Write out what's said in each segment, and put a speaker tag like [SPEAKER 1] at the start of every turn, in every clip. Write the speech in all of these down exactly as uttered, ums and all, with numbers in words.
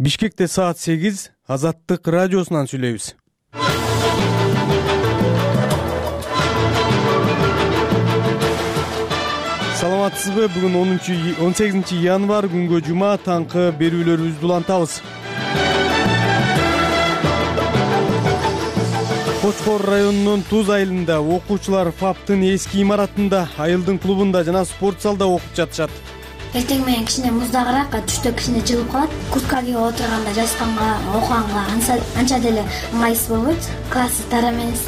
[SPEAKER 1] Бишкекте саат сегиз, Азаттык радиосунан сүйлөйбүз. Саламатсызбы? Бүгүн он сегизинчи январь күнгө жума, таңкы берүүлөрүбүздү улантабыз. Кочкор районунун Туз айылында окуучулар ФАПтын эски имаратында, айылдын клубунда жана спорт залда окуп жатышат.
[SPEAKER 2] Эртең менен кичине муздагыраак, түштө кичине жылып калат. Куртка кийип отурганда, жазганга, окуганга анча деле ыңгайсыз болбойт. Классы тар эмес,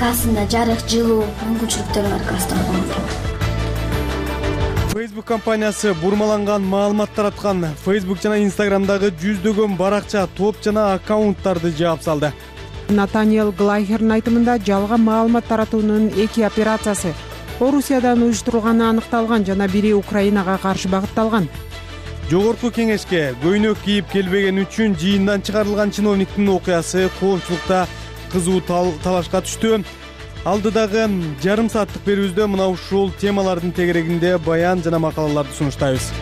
[SPEAKER 2] классында жарык, жылуу мүмкүнчүлүктөрү бар класста окуганга.
[SPEAKER 1] Facebook компаниясы бурмаланган маалымат тараткан. Facebook жана Instagramдагы жүздөгөн баракча, топ жана аккаунттарды жаап салды.
[SPEAKER 3] Натаниэл Глайхердин айтымында жалган маалымат таратуунун эки операциясы Орусиядан уюштурулганы аныкталган жана бири Украинага каршы багытталган.
[SPEAKER 1] Жогорку кеңешке көйнөк кийип келбеген үчүн жыйындан чыгарылган чиновниктин окуясы коомчулукта кызуу талашка түштү. Алдыдагы жарым сааттык берүүбүздө мына ушул темалардын тегерегинде баян жана макалаларды сунуштайбыз.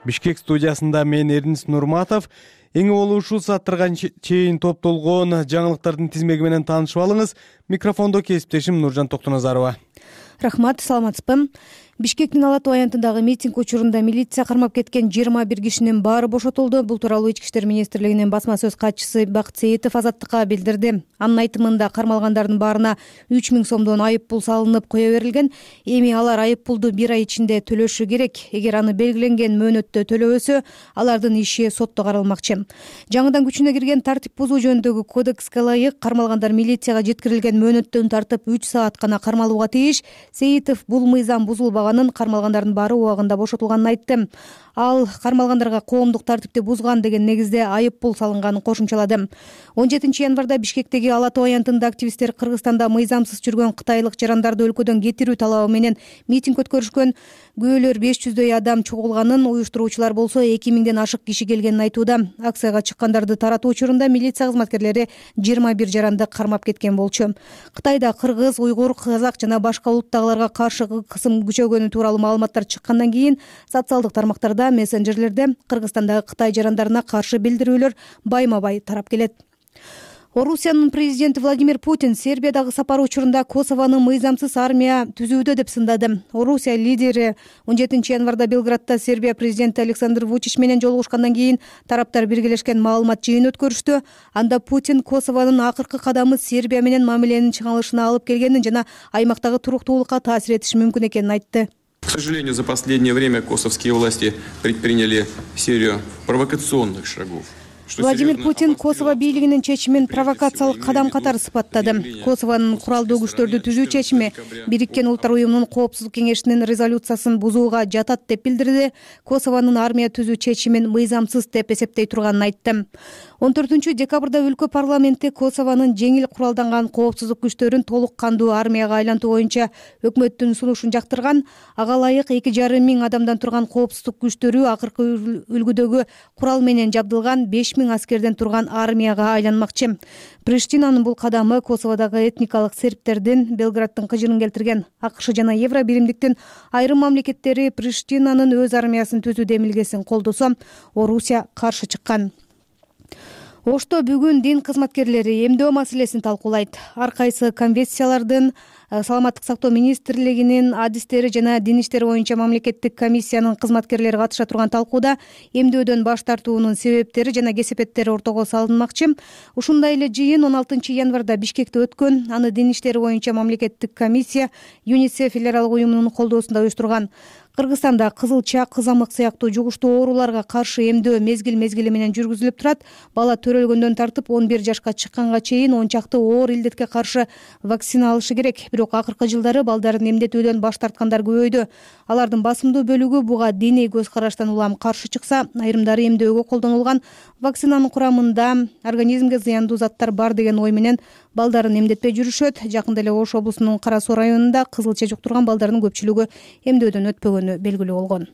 [SPEAKER 1] Бишкек студиясында мен Эрнис Нурматов. Эң болуу ушул сааттарга чейин топтолгон жаңылыктардын тизмеги менен таанышып алыңыз. Микрофондо кесиптешим Нуржан Токтоназарова.
[SPEAKER 4] Рахмат, саламатсызбы? Бишкектин Ала Тоо аянтындагы митинг учурунда милиция кармап кеткен жыйырма бир кишинин баары бошотулду. Бул тууралуу Ички иштер министрлигинин басма сөз катчысы Бакыт Сейитов Азаттыкка билдирди. Анын айтымында кармалгандардын баарына үч миң сомдон айып пул салынып кое берилген. Эми алар айып пулду бир ай ичинде төлөшү керек. Эгер аны белгиленген мөөнөттө төлөбөсө, алардын иши сотто каралмакчы. Жаңыдан күчүнө кирген тартип бузуу жөнүндөгү кодекске ылайык кармалгандар милицияга жеткирилген мөөнөттөн тартып үч саат гана кармалууга тийиш. Сейитов бул мыйзам бузулбаганын, кармалгандардын баары убагында бошотулганын айтты. Ал кармалгандарга коомдук тартипти бузган деген негизде айып пул салынганын кошумчалады. он жетинчи январда Бишкектеги Ала Тоо аянтында активисттер Кыргызстанда мыйзамсыз жүргөн кытайлык жарандарды өлкөдөн кетирүү талабы менен митинг өткөрүшкөн. Күбөлөр беш жүздөй адам чогулганын, уюштуруучулар болсо эки миңден ашык киши келгенин айтууда. Акцияга чыккандарды таратуу учурунда милиция кызматкерлери жыйырма бир жаранды кармап кеткен болчу. Кытайда кыргыз, уйгур, казак жана башка улуттагыларга каршы кысым күчөгөнү тууралуу маалыматтар чыккандан кийин социалдык тармактарда, мессенджерлерде Кыргызстандагы Кытай жарандарына каршы билдирүүлөр байма-бай тарап келет. Орусиянын президенти Владимир Путин Сербиядагы сапары учурунда Косовонун мыйзамсыз армия түзүүдө деп сындады. Орусия лидери он жетинчи январда Белградта Сербия президенти Александр Вучич менен жолугушкандан кийин тараптар биргелешкен маалымат жыйын өткөрүштү. Анда Путин Косовонун акыркы кадамы Сербия менен мамиленин чыңалышына алып келгенин жана аймактагы туруктуулукка таасир этиши мүмкүн экенин айтты.
[SPEAKER 5] К сожалению, за последнее время косовские власти предприняли серию провокационных шагов.
[SPEAKER 4] Владимир Путин Косово бийлигинин чечимин провокациялык кадам катары сыпаттады. Косовонун куралдуу күчтөрдү түзүү чечими Бириккен Улуттар уюмунун Коопсуздук кеңешинин резолюциясын бузууга жатат деп билдирди. Косовонун армия түзүү чечимин мыйзамсыз деп эсептей турганын айтты. он төртүнчү декабрда өлкө парламенти Косовонун жеңил куралданган коопсуздук күчтөрүн толук кандуу армияга айлантуу боюнча өкмөттүн сунушун жактырган. Ага ылайык эки жарым миң адамдан турган коопсуздук күчтөрү акыркы үлгүдөгү курал менен жабдылган беш миң аскерден турган армияга айланмакчы. Приштинанын бул кадамы Косоводогу этникалык сербтердин Белградтын кыжырын келтирген. АКШ жана Евро биримдиктин айрым мамлекеттери Приштинанын өз армиясын түзүү демилгесин колдосо, Орусия каршы чыккан. Ошто бүгүн дин кызматкерлери эмдөө маселесин талкуулайт. Ар кайсы конвенциялардын, Саламаттык сактоо министрлигинин адистери жана дин иштери боюнча мамлекеттик комиссиянын кызматкерлери катыша турган талкууда эмдөөдөн баш тартуунун себептери жана кесепеттери ортого салынмакчы. Ушундай эле жыйын он алтынчы январда Бишкекте өткөн. Аны дин иштери боюнча мамлекеттик комиссия ЮНИСЕФ федералдык уюмунун колдоосунда уюштурган. Кыргызстанда кызылча, кызамык сыяктуу жугуштуу ооруларга каршы эмдөө мезгил-мезгили менен жүргүзүлүп турат. Бала төрөлгөндөн тартып он бир жашка чыкканга чейин он чакты оор илдетке каршы вакцина алышы керек. Бирок акыркы жылдары балдарын эмдетүүдөн баш тарткандар көбөйдү. Алардын басымдуу бөлүгү буга диний көз караштан улам каршы чыкса, айрымдары эмдөөгө колдонулган вакцинанын курамында организмге зыяндуу заттар бар деген ой менен балдарын эмдетпей жүрүшөт. Жакында эле Ош облусунун Кара Суу районунда кызылча жуктурган балдардын көпчүлүгү эмдөөдөн өтпөгөнү белгилүү болгон.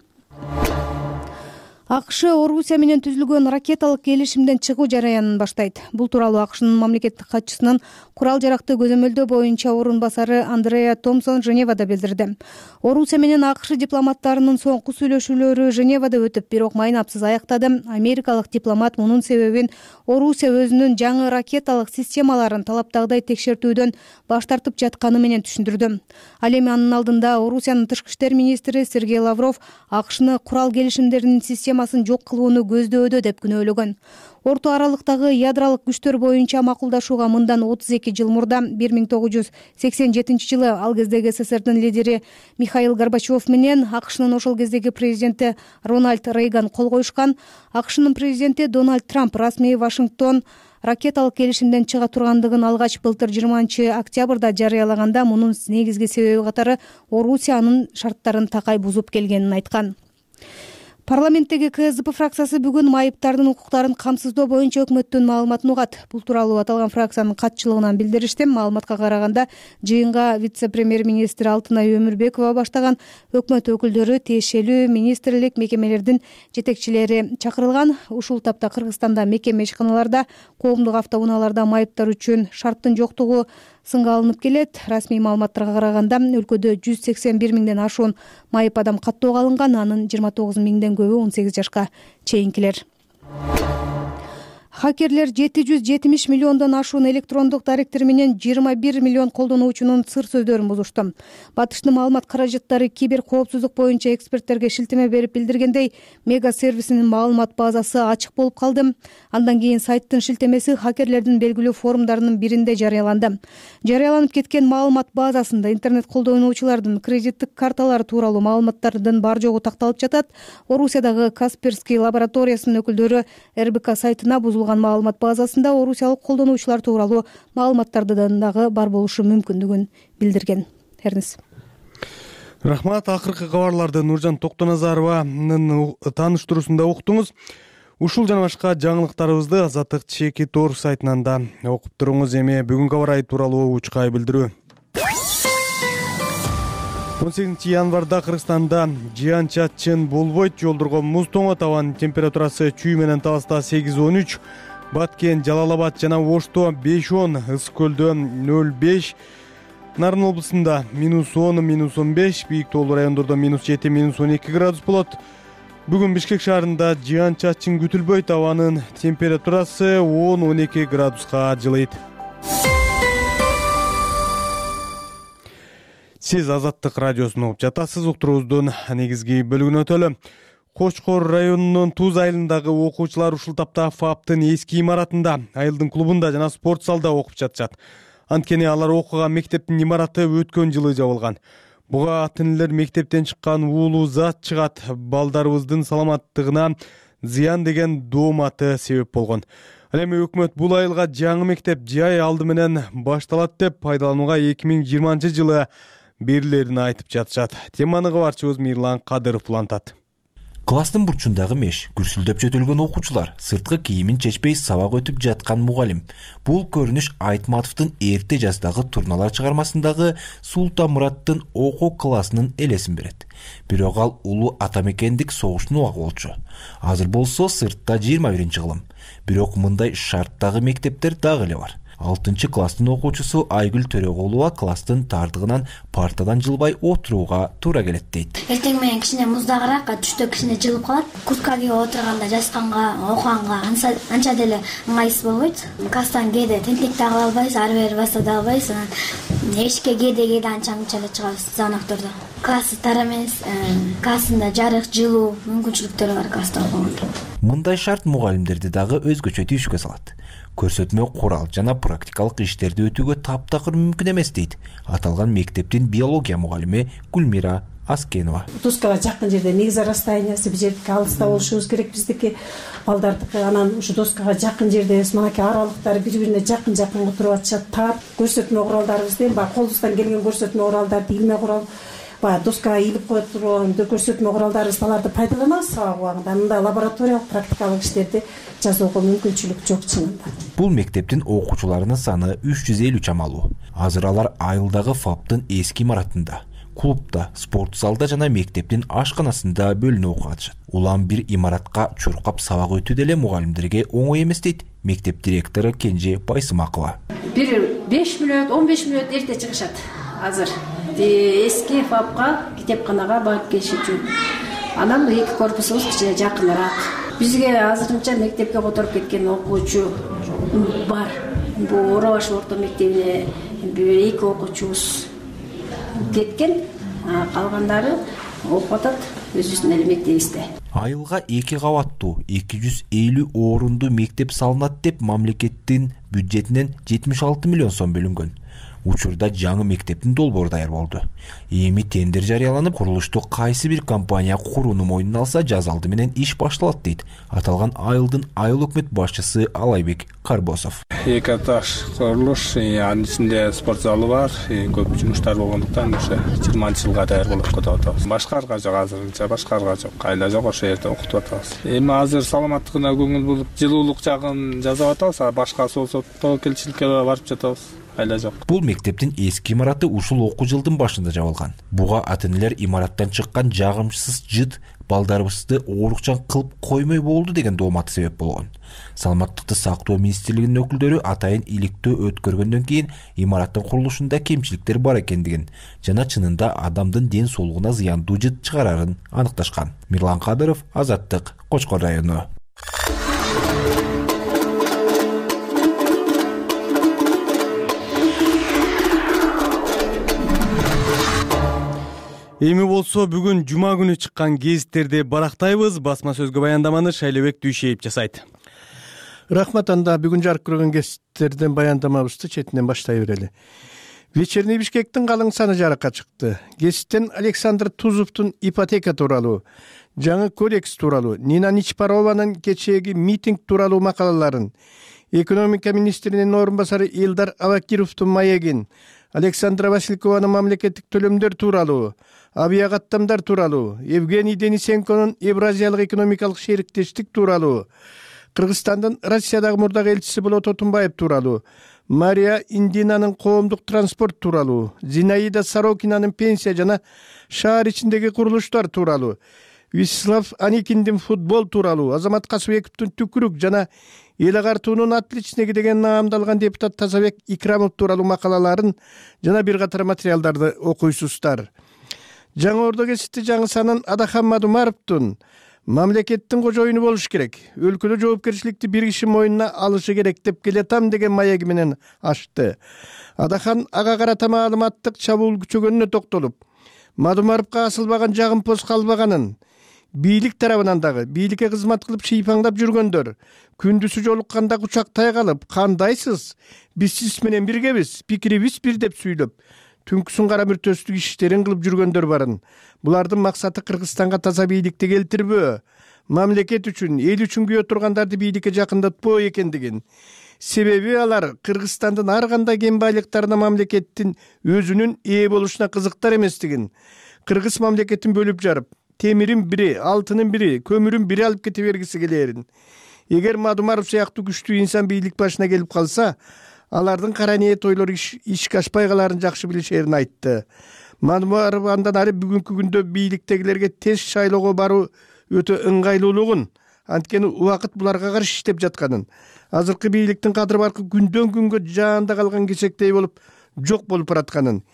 [SPEAKER 4] АКШ Орусия менен түзүлгөн ракеталык келишимден чыгуу жараянын баштайт. Бул тууралуу АКШнын мамлекеттик катчысынын курал жаракты көзөмөлдөө боюнча орун басары Андреа Томпсон Женевада билдирди. Орусия менен АКШ дипломаттарынын соңку сүйлөшүүлөрү Женевада өтүп, бирок майнапсыз аяктады. Америкалык дипломат мунун себебин Орусия өзүнүн жаңы ракеталык системаларын талаптагыдай текшертүүдөн баш тартып жатканы менен түшүндүрдү. Ал эми анын алдында Орусиянын тышкы иштер министри Сергей Лавров АКШны курал келишимдеринин системасын жок кылууну көздөөдө деп күнөөлөгөн. Орто аралыктагы ядролук күчтөр боюнча макулдашууга мындан отуз эки жыл мурда бир миң тогуз жүз сексен жетинчи жылы ал кездеги СССРдин лидери Михаил Горбачев менен АКШнын ошол кездеги президенти Рональд Рейган кол коюшкан. АКШнын президенти Дональд Трамп расмий Вашингтон ракеталык келишимден чыга тургандыгын алгач былтыр жыйырманчы октябрда жарыялаганда, мунун негизги себеби катары Орусия анын шарттарын такай бузуп келгенин айткан. Парламенттеги КСДП фракциясы бүгүн майыптардын укуктарын камсыздоо боюнча өкмөттүн маалыматын угат. Бул тууралуу аталган фракциянын катчылыгынан билдиришти. Маалыматка караганда, жыйынга вице-премьер-министр Алтынай Өмүрбекова баштаган өкмөт өкүлдөрү, тиешелүү министрлик, мекемелердин жетекчилери чакырылган. Ушул тапта Кыргызстанда мекеме ишканаларда, коомдук автоунааларда майыптар үчүн шарттын жоктугу сынга алынып келет. Расмий маалыматтарга караганда, өлкөдө жүз сексен бир миңден ашуун майып адам каттоого алынган, анын жыйырма тогуз миңден көбү он сегиз жашка чейинкилер. Хакерлер жети жүз жетимиш миллиондон ашуун электрондук даректер менен жыйырма бир миллион колдонуучунун сыр сөздөрүн бузушту. Батыштын маалымат каражаттары кибер коопсуздук боюнча эксперттерге шилтеме берип билдиргендей, Мега сервисинин маалымат базасы ачык болуп калды. Андан кийин сайттын шилтемеси хакерлердин белгилүү форумдарынын биринде жарыяланды. Жарыяланып кеткен маалымат базасында интернет колдонуучулардын кредиттик карталары тууралуу маалыматтардын бар жогу такталып жатат. Орусиядагы Касперский лабораториясынын өкүлдөрү эр бэ ка сайтына бузулган маалымат базасында орусиялык колдонуучулар тууралуу маалыматтардын дагы бар болушу мүмкүндүгүн билдирген. Эрнис.
[SPEAKER 1] Рахмат. Акыркы кабарларды Нуржан Токтоназарованын тааныштыруусунда уктуңуз. Ушул жана башка жаңылыктарыбызды Азаттык чеки тор сайтынан да окуп туруңуз. Эми бүгүнкү аба ырайы тууралуу учкай билдирүү. он сегизинчи январда Кыргызстанда жаан-чачын болбойт. Жолдорго муз тоңот. Абанын температурасы Чүй менен Таласта сегиз он үч, Баткен, Жалал-Абад жана Ошто беш он, Ысык көлдө нөл беш, Нарын облусунда минус он, минус он беш, бийик тоолуу райондордо минус жети, минус он эки градус болот. Бүгүн Бишкек шаарында жаан-чачын күтүлбөйт. Абанын температурасы он он эки градуска жылыйт. Сиз Азаттык радиосун угуп жатасыз. Уктуруубуздун негизги бөлүгүнө өтөлү. Кочкор районунун Туз айылындагы окуучулар ушул тапта ФАПтын эски имаратында, айылдын клубунда жана спорт залда окуп жатышат. Анткени алар окуган мектептин имараты өткөн жылы жабылган. Буга ата энелер мектептен чыккан уулуу зат чыгат, балдарыбыздын саламаттыгына зыян деген дооматы себеп болгон. Ал эми өкмөт бул айылга жаңы мектеп жай алды менен башталат деп пайдаланууга эки миң жыйырманчы жылы берилерин айтып жатышат. Теманы кабарчыбыз Мирлан Кадыров улантат.
[SPEAKER 6] Класстын бурчундагы меш, күрсүлдөп жөтөлгөн окуучулар, сырткы кийимин чечпей сабак өтүп жаткан мугалим. Бул көрүнүш Айтматовдун эрте жаштагы турналар чыгармасындагы Султан Мураттын окуу классынын элесин берет. Бирок ал улуу атамекендик согуштун убагы болчу. Азыр болсо сыртта жыйырма биринчи кылым. Бирок мындай шарттагы мектептер дагы эле бар. алтынчы класстын окуучусу Айгүл Төрөгулова класстын тардыгынан партадан жылбай отурууга туура келет дейт.
[SPEAKER 2] Эртең менен кичине муздагыраак, түштө кичине жылып калат. Куртка кийип отурганда, жазганга, окуганга анча деле ыңгайсыз болбойт. Класстан кээде тентек да кыла албайсыз, ары бери баса да албайсыз. Эшикке кээде кээде анча мынча эле чыгабыз звоноктордо. Классы тар эмес, классында жарык, жылуу мүмкүнчүлүктөрү бар класста окуганга.
[SPEAKER 6] Мындай шарт мугалимдерди дагы өзгөчө тийишке салат. Көрсөтмө курал жана практикалык иштерди өтүүгө таптакыр мүмкүн эмес дейт аталган мектептин биология мугалими Гүлмира Аскенова.
[SPEAKER 7] Доскага жакын жерде негизи расстояниясы бир жердики алыста болушубуз керек биздики балдардыкы. Анан ушу доскага жакын жерде мынакей аралыктары бири-бирине жакын-жакын туруп атышат. Тап көрсөтмө куралдарыбызды, баягы колубуздан келген көрсөтмө куралдарды, илме курал, баягы доскага илип коюп турган көрсөтмө куралдарыбызды аларды пайдаланабыз сабак убагында. Мындай лабораториялык практикалык иштерди жазууга мүмкүнчүлүк жок чынында.
[SPEAKER 6] Бул мектептин окуучуларынын саны үч жүз элүү чамалуу. Азыр алар айылдагы ФАПтын эски имаратында. клубда, спорт залда жана мектептин ашканасында бөлүнүп окуп атышат. Улам бир имаратка чуркап сабак өтүү деле мугалимдерге оңой эмес дейт мектеп директору Кенже Байсымакова.
[SPEAKER 7] Бир беш мүнөт, он беш мүнөт эрте чыгышат азыр. Эски фапка, китепканага барып келиш үчүн. Анан эки корпусубуз кичине жакыныраак. Бизге азырынча мектепке которуп кеткен окуучу бар. Бул Оробаш орто мектебине эки окуучубуз кеткен, калгандары окуп атат өзүбүздүн эле мектебибизде.
[SPEAKER 6] Айылга эки кабаттуу эки жүз элүү орунду мектеп салынат деп мамлекеттин бюджетинен жетимиш алты миллион сом бөлүнгөн. Учурда жаңы мектептин долбоору даяр болду. Эми тендер жарыяланып, курулушту кайсы бир компания курууну мойнуна алса, жаз алды менен иш башталат дейт аталган айылдын айыл өкмөт башчысы Алайбек Карбосов.
[SPEAKER 8] Эки этаж курулуш, анын ичинде спорт залы бар, көп жумуштар болгондуктан ошо жыйырманчы жылга даяр болуп кетип атабыз. Башкарга жок, азырынча башкарга жок, кайла жок, ошо жерде окутуп атабыз. Эми азыр саламаттыгына көңүл буруп, жылуулук жагын жасап атабыз, башкасы болсо тобокелчиликке барып жатабыз.
[SPEAKER 6] Бул мектептин эски имараты ушул окуу жылдын башында жабылган. Буга ата-энелер имараттан чыккан жагымсыз жыт балдарыбызды оорукчан кылып коймой болду деген дооматы себеп болгон. Саламаттыкты сактоо министрлигинин өкүлдөрү атайын иликтөө өткөргөндөн кийин имараттын курулушунда кемчиликтер бар экендигин жана чынында адамдын ден соолугуна зыяндуу жыт чыгарарын аныкташкан. Мирлан Кадыров, Азаттык, Кочкор району.
[SPEAKER 1] Эми болсо бүгүн жума күнү чыккан гезиттерди барактайбыз. Басма сөзгө баяндаманы Шайлебек Дүйшеев жасайт.
[SPEAKER 9] Рахмат, анда бүгүн жарык көргөн гезиттерден баяндамабызды четинен баштай берели. Вечерний Бишкектин калың саны жарыкка чыкты. Гезиттен Александр Тузовдун ипотека тууралуу, жаңы кодекс тууралуу, Нина Ничпарованын кечээги митинг тууралуу макалаларын, экономика министринин орун басары Илдар Абакировдун маегин, Александра Василькованын мамлекеттик төлөмдөр тууралуу, авиакаттамдар тууралуу, Евгений Денисенконун Евразиялык экономикалык шериктештик тууралуу, Кыргызстандын Россиядагы мурдагы элчиси Болот Отунбаев тууралуу, Мария Индинанын коомдук транспорт тууралуу, Зинаида Сорокинанын пенсия жана шаар ичиндеги курулуштар тууралуу, Вячеслав Аникиндин футбол тууралуу, Азамат Касыбековдун түкүрүк жана эл агартуунун отличниги деген наамдалган депутат Тазабек Икрамов тууралуу макалаларын жана бир катар материалдарды окуйсуздар. Жаңы Ордо гезити жаңы санын Адахан Мадумаровдун мамлекеттин кожоюну болуш керек, өлкөдө жоопкерчиликти бир киши мойнуна алышы керек деп келетам деген маеги менен ачты. Адахан ага карата маалыматтык чабуул күчөгөнүнө токтолуп, Мадумаровго асылбаган жагымпоз калбаганын, бийлик тарабынан дагы бийликке кызмат кылып шыйпаңдап жүргөндөр күндүзү жолукканда кучактай калып, кандайсыз, биз сиз менен биргебиз, пикирибиз бир деп сүйлөп, түнкүсүн кара мүртөстүк иштерин кылып жүргөндөр барын. Булардын максаты Кыргызстанга таза бийликти келтирбөө, мамлекет үчүн, эл үчүн күйө тургандарды бийликке жакындатпоо экендигин. Себеби алар Кыргызстандын ар кандай кен байлыктарына мамлекеттин өзүнүн ээ болушуна кызыктар эместигин, кыргыз мамлекетин бөлүп жарып, темирин бири, алтынын бири, көмүрүн бири алып кете бергиси келерин. Эгер Мадумаров сыяктуу күчтүү инсан бийлик башына келип калса, алардын кара ниет ойлору ишке ашпай каларын жакшы билишерин айтты. Мадумаров андан ары бүгүнкү күндө бийликтегилерге тез шайлоого баруу өтө ыңгайлуулугун, анткени убакыт буларга каршы иштеп жатканын, азыркы бийликтин кадыр баркы күндөн күнгө жаанда калган кесектей болуп жок болуп баратканын,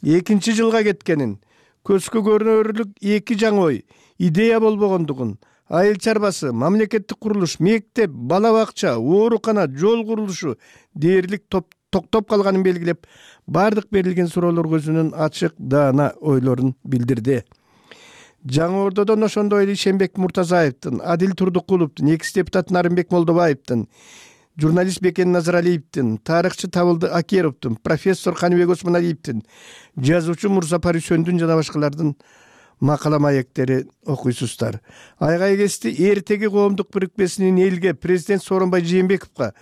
[SPEAKER 9] экинчи жылга кеткенин, көзгө көрүнөрлүк эки жаңы ой, идея болбогондугун, айыл чарбасы, мамлекеттик курулуш, мектеп, бала бакча, оорукана, жол курулушу дээрлик токтоп калганын белгилеп, бардык берилген суроолорго өзүнүн ачык, даана ойлорун билдирди. Жаңы Ордодон ошондой эле Ишенбек Муртазаевдин, Адил Турдукуловдун, экс депутат Нарымбек Молдобаевдин, журналист Бекен Назаралиевдин, тарыхчы Табылды Акеровдун, профессор Каныбек Осмоналиевдин, жазуучу Мурза Парисөндүн жана башкалардын макала маектери окуйсуздар. Айгай кести эртеги коомдук бирикмесинин элге президент Сооронбай Жээнбековго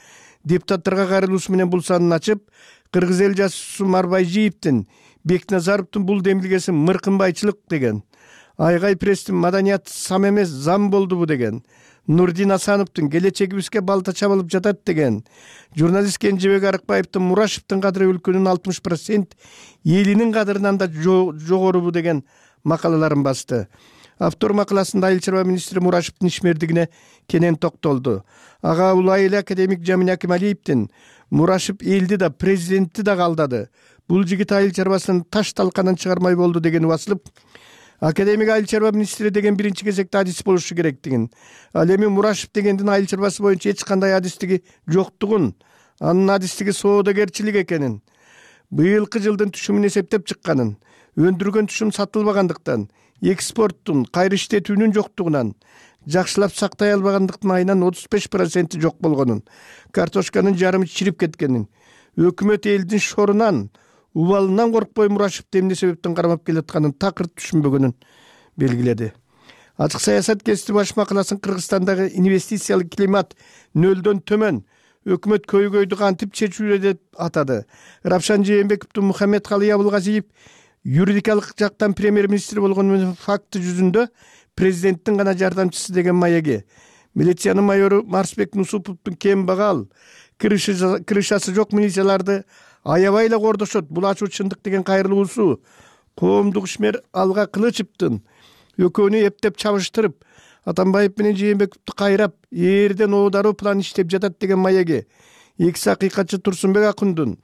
[SPEAKER 9] депутаттарга кайрылуусу менен бул санын ачып, кыргыз эл жазуучусу Марбайжиевдин, Бекназаровдун бул демилгеси мыркынбайчылык деген, Айгай пресстин маданият сам эмес зам болдубу деген, Нурдин Асановдун келечегибизге балта чабылып жатат деген, журналист Кенжебек Арыкбаевдин Мурашевдин кадыры өлкөнүн алтымыш процент элинин кадырынан да жогорубу деген макалаларын басты. Автор макаласында айыл чарба министри Мурашевдин ишмердигине кенен токтолду. Ага улай эле академик Жамин Акималиевдин Мурашев элди да президентти да калдады. Бул жигит айыл чарбасын таш талканын чыгармай болду деген басылып, академик айыл чарба министри деген биринчи кезекте адис болушу керектигин, ал эми Мурашев дегендин айыл чарбасы боюнча эч кандай адистиги жоктугун, анын адистиги соодагерчилик экенин, быйылкы жылдын түшүмүн эсептеп чыкканын, өндүргөн түшүм сатылбагандыктан, экспорттун кайра иштетүүнүн жоктугунан, жакшылап сактай албагандыктын айынан отуз беш проценти жок болгонун, картошканын жарымы чирип кеткенин, өкмөт элдин шорунан, убалынан коркпой Мурашевди эмне себептен кармап келатканын такыр түшүнбөгөнүн белгиледи. Ачык саясат гезити баш макаласын Кыргызстандагы инвестициялык климат нөлдөн төмөн, өкмөт көйгөйдү кантип чечүүрү деп атады. Рапшан Жээнбековдун Мухаммед Калый Абылгазиев юридикалык жактан премьер-министр болгон факты жүзүндө президенттин гана жардамчысы деген маяги, милициянын майору Марсбек Нусуповдун кем багал, крышасы жок милицияларды аябай эле кордошот, бул ачуу чындык деген кайрылуусу, коомдук ишмер Алга Кылычевдин экөөнү эптеп чабыштырып, Атамбаев менен Жээнбековду кайрап, ээрден оодаруу план иштеп жатат деген маяги, экс акыйкатчы Турсунбек Акундун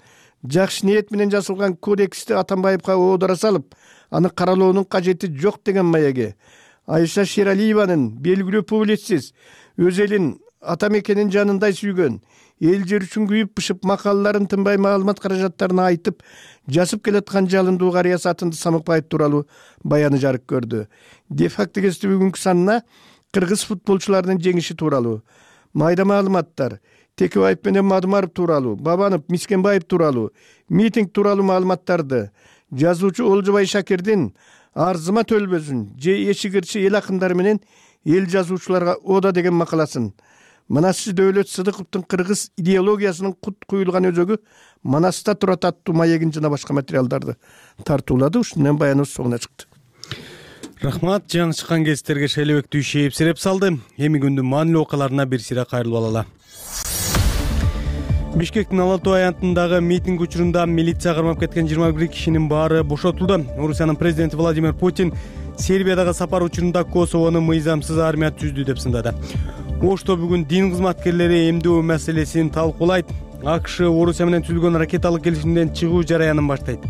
[SPEAKER 9] жакшы ниет менен жазылган кодексти Атамбаевга оодара салып, аны каралоонун кажети жок деген маяги, Айша Шералиеванын белгилүү публицист, өз элин ата мекенин жанындай сүйгөн, эл жер үчүн күйүп бышып макалаларын тынбай маалымат каражаттарын айтып жазып келаткан жалындуу карыя Сатынды Самыкбаев тууралуу баяны жарык көрдү. Де-факто гезити бүгүнкү санына кыргыз футболчуларынын жеңиши тууралуу, майда маалыматтар, Текебаев менен Мадумаров тууралуу, Бабанов, Мискенбаев тууралуу, митинг тууралуу маалыматтарды, жазуучу Олжобай Шакирдин Арзыма төлбөсүн же Эшигирчи эл акындары менен эл жазуучуларга ода деген макаласын, Манасчы Дөөлөт Сыдыковдун кыргыз идеологиясынын кут куюлган өзөгү Манаста турат аттуу маегин жана башка материалдарды тартуулады. Ушундан баяныбыз соңуна чыкты.
[SPEAKER 1] Рахмат, жаңы чыккан гезиттерге Шайлебек Дүйшеев сереп салды. Эми күндүн маанилүү окуяларына бир сыйра кайрылып алалы. Бишкектин Ала Тоо аянтындагы митинг учурунда милиция кармап кеткен жыйырма бир кишинин баары бошотулду. Орусиянын президенти Владимир Путин Сербиядагы сапар учурунда Косовону мыйзамсыз армия түздү деп сындады. Ошто бүгүн дин кызматкерлери эмдөө маселесин талкуулайт. АКШ Орусия менен түзүлгөн ракеталык келишимден чыгуу жараянын баштайт.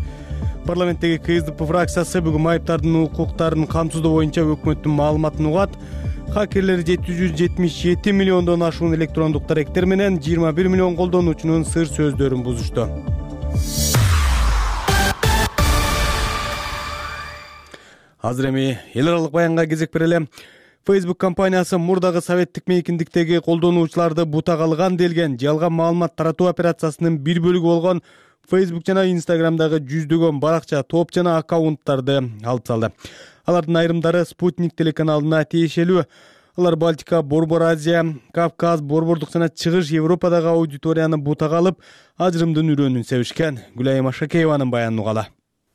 [SPEAKER 1] Парламенттеги КСДП фракциясы бүгүн майыптардын укуктарын камсыздоо боюнча өкмөттүн маалыматын угат. Хакерлер жети жүз жетимиш жети миллиондон ашуун электрондук даректер менен жыйырма бир миллион колдонуучунун сыр сөздөрүн бузушту. Азыр эми эл аралык баянга кезек берели. Facebook компаниясы мурдагы советтик мейкиндиктеги колдонуучуларды бутага алган делген жалган маалымат таратуу операциясынын бир бөлүгү болгон Facebook жана Instagramдагы жүздөгөн баракча, топ жана аккаунттарды алып салды. Алардын айрымдары Спутник телеканалына тиешелүү. Алар Балтика, Борбор Азия, Кавказ, Борбордук жана Чыгыш Европадагы аудиторияны бутага алып, ажырымдын үрөөнүн себишкен. Гүлайым Ашакееванын баянын угалы.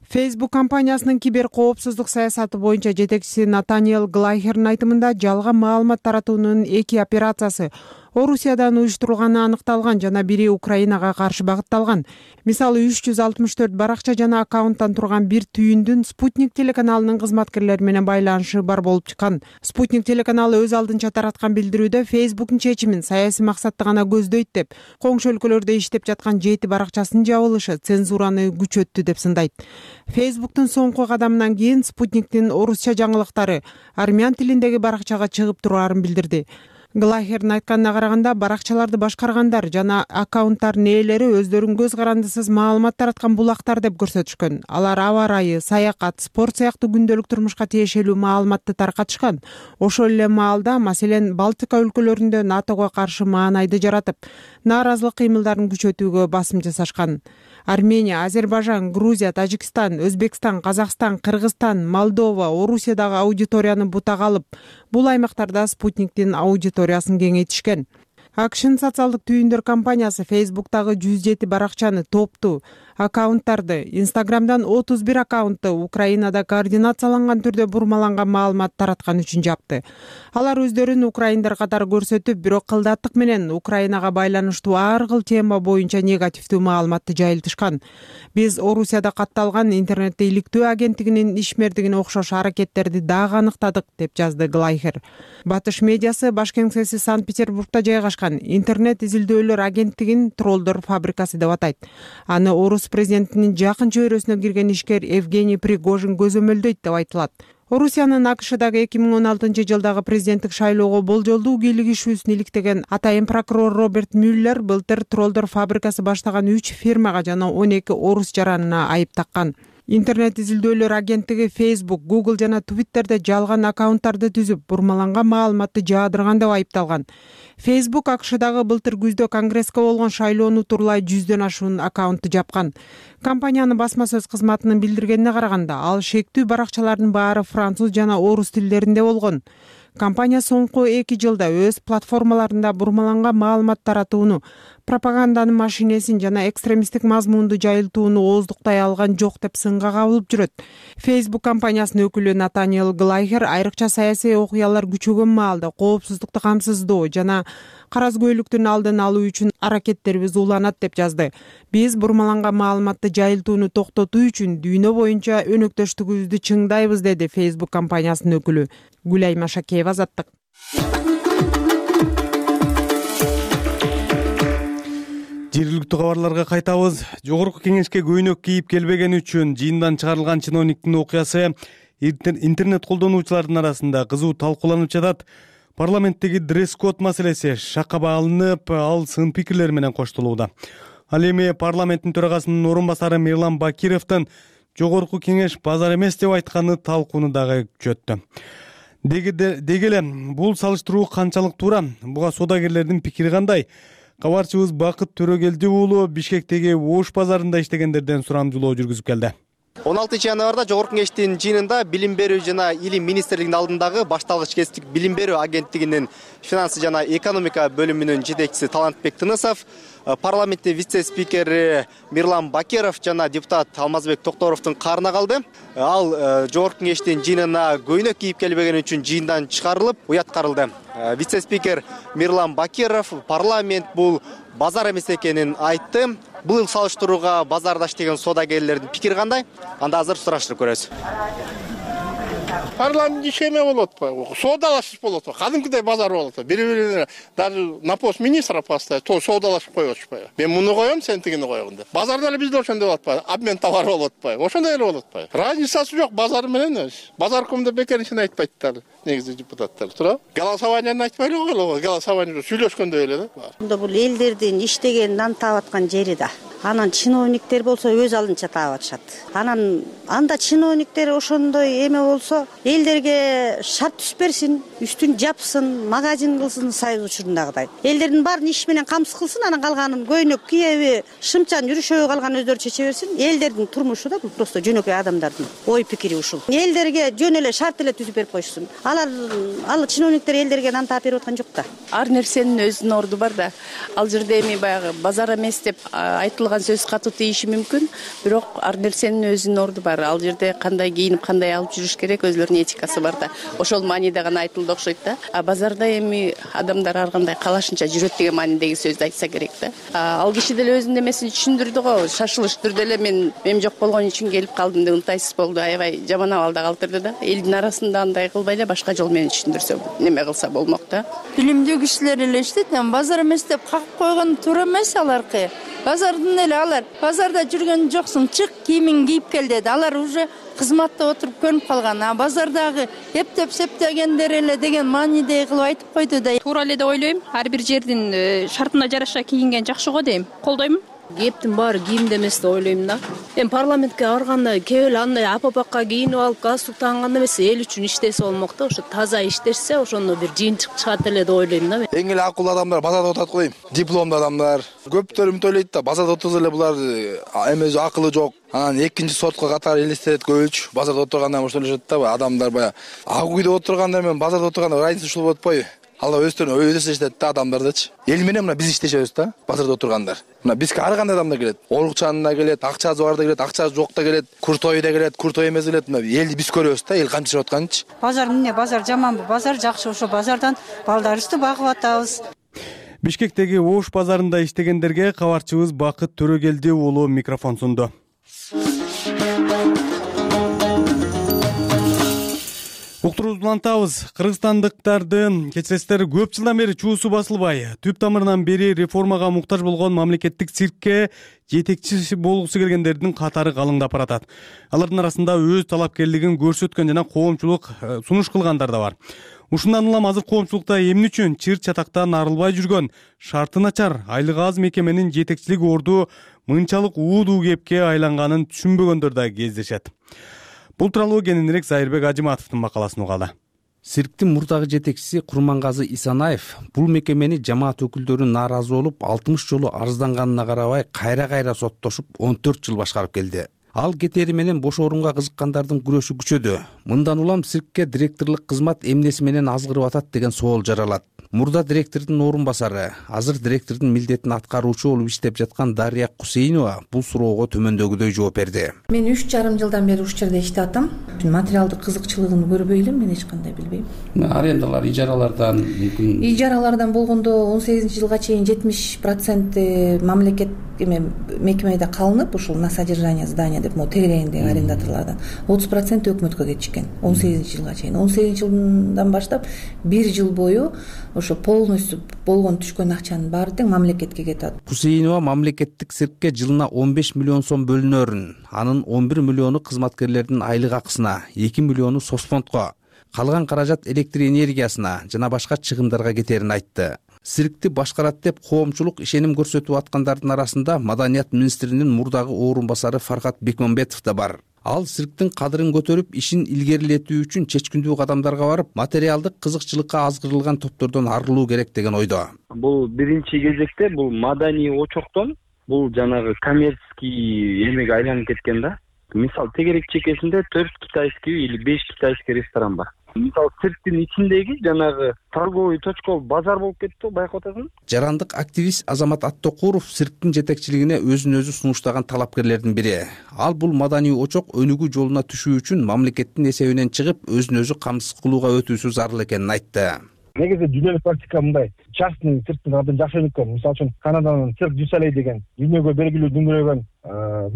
[SPEAKER 3] Facebook компаниясынын кибер коопсуздук саясаты боюнча жетекчиси Натаниэл Глайхердин айтымында жалган маалымат таратуунун эки операциясы Орусиядан уюштурулганы аныкталган жана бири Украинага каршы багытталган. Мисалы үч жүз алтымыш төрт баракча жана аккаунттан турган бир түйүндүн Спутник телеканалынын кызматкерлери менен байланышы бар болуп чыккан. Спутник телеканалы өз алдынча тараткан билдирүүдө Facebook'ун чечимин саясий максатты гана көздөйт деп, коңшу өлкөлөрдө иштеп жаткан жети баракчасынын жабылышы цензураны күчөттү деп сындайт. Facebook'тун соңку кадамынан кийин Спутниктин орусча жаңылыктары армян тилиндеги баракчага чыгып тураарын билдирди. Глайхердин айтканына караганда, баракчаларды башкаргандар жана аккаунттардын ээлери өздөрүн көз карандысыз маалымат тараткан булактар деп көрсөтүшкөн. Алар аба ырайы, саякат, спорт сыяктуу күндөлүк турмушка тиешелүү маалыматты таркатышкан. Ошол эле маалда, маселен, Балтика өлкөлөрүндө НАТОго каршы маанайды жаратып, нааразылык кыймылдарын күчөтүүгө басым жасашкан. Армения, Азербайжан, Грузия, Тажикстан, Өзбекстан, Казакстан, Кыргызстан, Молдова, Орусиядагы аудиторияны бутага алып, бул аймактарда Спутниктин аудиториясын кеңейтишкен. АКШнын социалдык түйүндөр компаниясы Facebook'тагы жүз жети баракчаны, топту аккаунттарды. Инстаграмдан отуз бир аккаунтты Украинада координацияланган түрдө бурмаланган маалымат тараткан үчүн жапты. Алар өздөрүн украиндар катары көрсөтүп, бирок кылдаттык менен Украинага байланыштуу ар кыл тема боюнча негативдүү маалыматты жайылтышкан. Биз Орусияда катталган интернетти иликтөө агенттигинин ишмердигине окшош аракеттерди дагы аныктадык, деп жазды Глайхер. Батыш медиасы баш кеңсеси Санкт-Петербургда жайгашкан интернет изилдөөлөр агенттигин троллдор фабрикасы деп атайт. Аны орус президентинин жакын чөйрөсүнө кирген ишкер Евгений Пригожин көзөмөлдөйт деп айтылат. Орусиянын АКШдагы эки миң он алтынчы жылдагы президенттик шайлоого болжолдуу кийлигишүүсүн иликтеген атайын прокурор Роберт Мюллер былтыр троллдор фабрикасы баштаган үч фирмага жана он эки орус жаранына айып таккан. Интернет изилдөөлөр агенттиги Facebook, Google жана Twitterде жалган аккаунттарды түзүп, бурмаланган маалыматты жаадырган деп айыпталган. Facebook АКШдагы былтыр күздө Конгресске болгон шайлоону турлай жүздөн ашуун аккаунтты жапкан. Компаниянын басма сөз кызматынын билдиргенине караганда, ал шектүү баракчалардын баары француз жана орус тилдеринде болгон. Компания соңку эки жылда өз платформаларында бурмаланган маалымат таратууну, пропаганданын машинесин жана экстремисттик мазмунду жайылтууну ооздуктай алган жок деп сынга кабылып жүрөт. Facebook компаниясынын өкүлү Натаниэл Глайхер айрыкча саясий окуялар күчөгөн маалда коопсуздукту камсыздоо жана каразгөйлүктүн алдын алуу үчүн аракеттерибиз уланат деп жазды. Биз бурмаланган маалыматты жайылтууну токтотуу үчүн дүйнө боюнча өнөктөштүгүбүздү чыңдайбыз, деди Facebook компаниясынын өкүлү. Гүлай Машакеева, Азаттык.
[SPEAKER 1] Жергиликтүү кабарларга кайтабыз. Жогорку кеңешке көйнөк кийип келбегени үчүн жыйындан чыгарылган чиновниктин окуясы интернет колдонуучулардын арасында кызуу талкууланып жатат. Парламенттеги дресс-код маселеси шаккаба алынып, ал сын пикирлер менен коштолууда. Ал эми парламенттин төрагасынын орун басары Мирлан Бакировдун жогорку кеңеш базар эмес деп айтканы талкууну дагы күчөттү. Деги эле бул салыштыруу канчалык туура? Буга соодагерлердин пикири кандай? Кабарчыбыз Бакыт Төрөгелди уулу Бишкектеги Ош базарында иштегендерден сурамжылоо жүргүзүп келди.
[SPEAKER 10] он алтынчы январда жогорку кеңештин жыйынында билим берүү жана илим министрлигинин алдындагы башталгыч кесиптик билим берүү агенттигинин финансы жана экономика бөлүмүнүн жетекчиси Талантбек Тынысов, парламенттин вице-спикери Мирлан Бакиров жана депутат Алмазбек Токторовдун каарына калды. Ал жогорку кеңештин жыйынына көйнөк кийип келбегени үчүн жыйындан чыгарылып, уяткарылды. Вице-спикер Мирлан Бакиров парламент бул базар эмес экенин айтты. Бул салыштырууга базарда иштеген соодагерлердин пикири кандай? Анда азыр сураштырып көрөбүз.
[SPEAKER 11] Парламент ишеме болот атпайбы? Соодалашып болот атпайбы? Кадимкидей базар болот атпайбы? Бири-бирине даже на пост министра поставить, то соодалашып коюп атышпайбы? Мен муну коем, сен тигини койгун деп. Базарда эле бизде ошондой болот атпайбы? Обмен товар болот атпайбы? Ошондой эле болот атпайбы? Разницасы жок базар менен. Базаркомдо бекеринчен айтпайттар негизи депутаттар. Туурабы? Голосованияны айтпай эле коелу, голосование сүйлөшкөндөй эле да.
[SPEAKER 12] Бул элдердин иштеген нан таап аткан жери да. Анан чиновниктер болсо өз алдынча таап атышат. Анан анда чиновниктер ошондой эме болсо элдерге шарт түспөрсүн, үстүн жапсын, магазин кылсын союз учурундагыдай. Элдердин баарын иш менен камсыз кылсын, анан калганын көйнөк кийеби, шымчан жүрүшөбү калган өздөрү чече берсин. Элдердин турмушу да бул просто жөнөкөй адамдардын ой пикири ушул. Элдерге жөн эле шарт эле түзүп берип коюшсун. Алар ал чиновниктер элдерге нан таап берип аткан жок да.
[SPEAKER 13] Ар нерсенин өзүнүн орду бар да. Ал жерде эми баягы базар эмес деп айтылган сөз катуу тийиши мүмкүн, бирок ар нерсенин өзүнүн орду бар. Ал жерде кандай кийинип, кандай алып жүрүш керек, өзлөрүнүн этикасы бар да. Ошол мааниде гана айтылды окшойт да. А базарда эми адамдар ар кандай калашынча жүрөт деген маанидеги сөздү айтса керек да. Ал киши деле өзүнүн эмесин түшүндүрдү го. Шашылыш түрдө эле мен мем жок болгон үчүн келип калдым деп ынтайсыз болду. Аябай жаман абалда калтырды да. Элдин арасында андай кылбай эле башка жол менен түшүндүрсө неме кылса болмок да.
[SPEAKER 14] Билимдүү кишилер эле иштейт, базар эмес деп какып койгон туура эмес аларкы. Базардын эле алар базарда жүргөн жоксуң, чык кийимиң кийип кел деди. Алар уже кызматта отуруп көнүп калган. А базардагы эптеп септегендер эле деген маанидей кылып айтып койду да.
[SPEAKER 15] Туура эле деп ойлойм. Ар бир жердин шартына жараша кийинген жакшы го дейм. Колдойм.
[SPEAKER 16] Кептин баары кийимде эмес деп ойлойм да. Эми парламентке барганда кеп эле андай апапакка кийинип алып галстук таганганда эмес, эл үчүн иштесе болмок да. Ошо таза иштешсе, ошондо бир жыйынтык чыгат эле деп ойлойм да мен.
[SPEAKER 17] Эң эле акылдуу адамдар базарда отурат го дейм. Дипломдуу адамдар. Көптөр үмүт ойлойт да, базарда отурса эле булар эме акылы жок. Анан экинчи сортко катары элестетет көбүлчү. Базарда отурганда ошол эле да, адамдар баягы ак үйдө отурганда менен базарда отурганда разница ушул болуп атпайбы? Алла өздөрүн өз иштешет да адамдардычы. Эл менен мына биз иштешебиз да, базарда отургандар. Мына бизге ар кандай адамдар келет. Оорукчанына келет, акчасы бар да келет, акчасы жок да келет, куртой да келет, куртой эмес келет. Мына элди биз көрөбүз да, эл кантип жашап атканынчы.
[SPEAKER 18] Базар эмне, базар жаманбы? Базар жакшы, ошо базардан балдарыбызды багып атабыз.
[SPEAKER 1] Бишкектеги Ош базарында иштегендерге кабарчыбыз Бакыт Төрөгелди уулу микрофон сунду. Уктуруубузду улантабыз. Кыргызстандыктардын кечиресиздер көп жылдан бери чуусу басылбай, түп тамырынан бери реформага муктаж болгон мамлекеттик циркке жетекчи болгусу келгендердин катары калыңдап баратат. Алардын арасында өз талапкерлигин көрсөткөн жана коомчулук сунуш кылгандар да бар. Ушундан улам азыр коомчулукта эмне үчүн чыр чатактан арылбай жүргөн, шарты начар, айлыгы аз мекеменин жетекчилик орду мынчалык уудуу кепке айланганын түшүнбөгөндөр да кездешет. Бул тууралуу кененирээк Зайырбек Ажыматовдун макаласын угалы.
[SPEAKER 19] Цирктин мурдагы жетекчиси Курмангазы Исанаев бул мекемени жамаат өкүлдөрү нааразы болуп алтымыш жолу арызданганына карабай кайра-кайра соттошуп он төрт жыл башкарып келди. Ал кетери менен бош орунга кызыккандардын күрөшү күчөдү. Мындан улам циркке директорлук кызмат эмнеси менен азгырып атат деген соол жаралат. Мурда директордун орун басары, азыр директордун милдетин аткаруучу болуп иштеп жаткан Дария Кусейнова бул суроого төмөндөгүдөй жооп берди.
[SPEAKER 20] Мен үч жарым жылдан бери ушул жерде иштеп атам. Материалдык кызыкчылыгын көрбөй элем, мен эч кандай билбейм.
[SPEAKER 19] Арендалар, ижаралардан мүмкүн.
[SPEAKER 20] Ижаралардан болгондо он сегизинчи жылга чейин жетимиш проценти мамлекет эме мекемеде калынып, ушул на содержание здания деп могу тегерегиндеги арендаторлордон отуз проценти өкмөткө кетишкен он сегизинчи жылга чейин. он сегизинчи жылдан баштап бир жыл бою ошо полностью болгон түшкөн акчанын баары тең мамлекетке кетет.
[SPEAKER 19] Кусейнова мамлекеттик циркке жылына он беш миллион сом бөлүнөрүн, анын он бир миллиону кызматкерлердин айлык акысына, эки миллиону соцфондко, калган каражат электр энергиясына жана башка чыгымдарга кетерин айтты. Циркти башкарат деп коомчулук ишеним көрсөтүп аткандардын арасында Маданият министринин мурдагы орун басары Фархат Бекмамбетов да бар. Ал цирктин кадырын көтөрүп, ишин илгерилетүү үчүн чечкиндүү кадамдарга барып, материалдык кызыкчылыкка азгырылган топтордон арылуу керек деген ойдо.
[SPEAKER 21] Бул биринчи кезекте бул маданий очоктон бул жанагы коммерческий эмеге айланып кеткен да. Мисалы, тегерек чекесинде төрт китайский или беш китайский ресторан бар. Мисалы, цирктин ичиндеги жанагы торговый точка базар болуп кетти, байкап атасың.
[SPEAKER 19] Жарандык активист Азамат Аттокуров цирктин жетекчилигине өзүн өзү сунуштаган талапкерлердин бири. Ал бул маданий очок өнүгүү жолуна түшүү үчүн мамлекеттин эсебинен чыгып, өзүн өзү камсыз кылууга өтүүсү зарыл экенин айтты.
[SPEAKER 22] Негизи дүйнөлүк практика мындай. Частный цирктин абдан жакшы өнүккөн. Мисалы үчүн Канаданын цирк дю Солей деген дүйнөгө белгилүү дүңгүрөгөн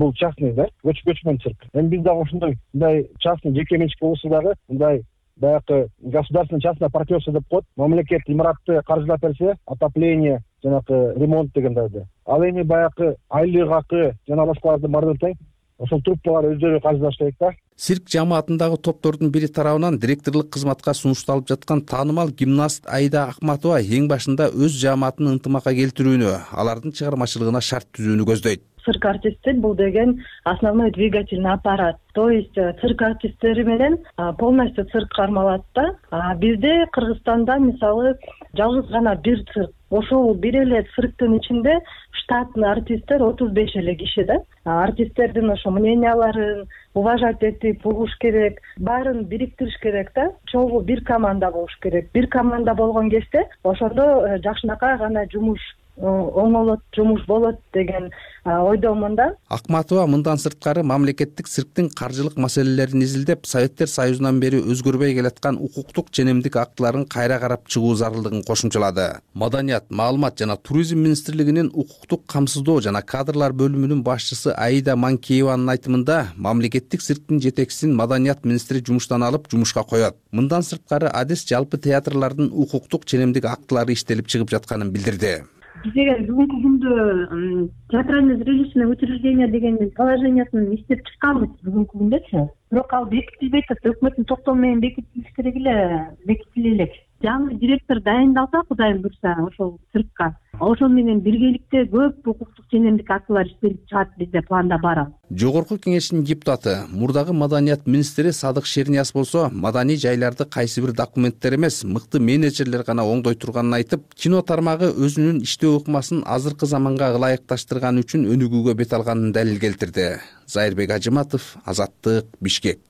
[SPEAKER 22] бул частный да, көчмөн цирк. Эми биз дагы ошондой мындай частный жеке менчик болсо дагы мындай баягы государственное частное партнерство деп коет. Мамлекет имаратты каржылап берсе, отопление, жанагы ремонт дегендерди. Ал эми баягы айлык акы жана башкаларды баардыгын тең ошол труппалар өздөрү каржылаш керек да.
[SPEAKER 19] Цирк жамаатындагы топтордун бири тарабынан директорлук кызматка сунушталып жаткан таанымал гимнаст Айда Акматова эң башында өз жамаатын ынтымакка келтирүүнү, алардын чыгармачылыгына шарт түзүүнү көздөйт.
[SPEAKER 23] Цирк артисти бул деген основной двигательный аппарат. То есть цирк артисттери менен полностью цирк кармалат да. Бизде Кыргызстанда мисалы жалгыз гана бир цирк. Ошол бир эле цирктин ичинде штатный артисттер отуз беш эле киши да. Артисттердин ошо мненияларын уважать этип угуш керек, баарын бириктириш керек да. Чогуу бир команда болуш керек. Бир команда болгон кезде ошондо жакшынакай гана жумуш оңолот, жумуш болот деген ойдомун да.
[SPEAKER 19] Акматова мындан сырткары мамлекеттик цирктин каржылык маселелерин изилдеп, Советтер Союзунан бери өзгөрбөй келаткан укуктук ченемдик актыларын кайра карап чыгуу зарылдыгын кошумчалады. Маданият, маалымат жана туризм министрлигинин укуктук камсыздоо жана кадрлар бөлүмүнүн башчысы Аида Манкееванын айтымында, мамлекеттик цирктин жетекчисин Маданият министри жумуштан алып, жумушка коет. Мындан сырткары адис жалпы театрлардын укуктук ченемдик актылары иштелип чыгып жатканын билдирди.
[SPEAKER 23] Биз эгер бүгүнкү күндө театральное зрелищное учреждение деген положениясын иштеп чыкканбыз бүгүнкү күндөчү. Бирок ал бекитилбей атат. Өкмөттүн токтому менен бекитилиш керек эле, бекитиле элек. Жаңы директор дайындалса, Кудайым буйрса, ошол циркка, ошол менен биргеликте көп укуктук ченемдик актылар иштелип чыгат, бизде планда бар.
[SPEAKER 19] Жогорку кеңештин депутаты, мурдагы Маданият министри Садык Шернияз болсо, маданий жайларды кайсы бир документтер эмес, мыкты менеджерлер гана оңдой турганын айтып, кино тармагы өзүнүн иштөө ыкмасын азыркы заманга ылайыкташтырган үчүн өнүгүүгө бет алганын далил келтирди. Зайырбек Ажыматов, Азаттык, Бишкек.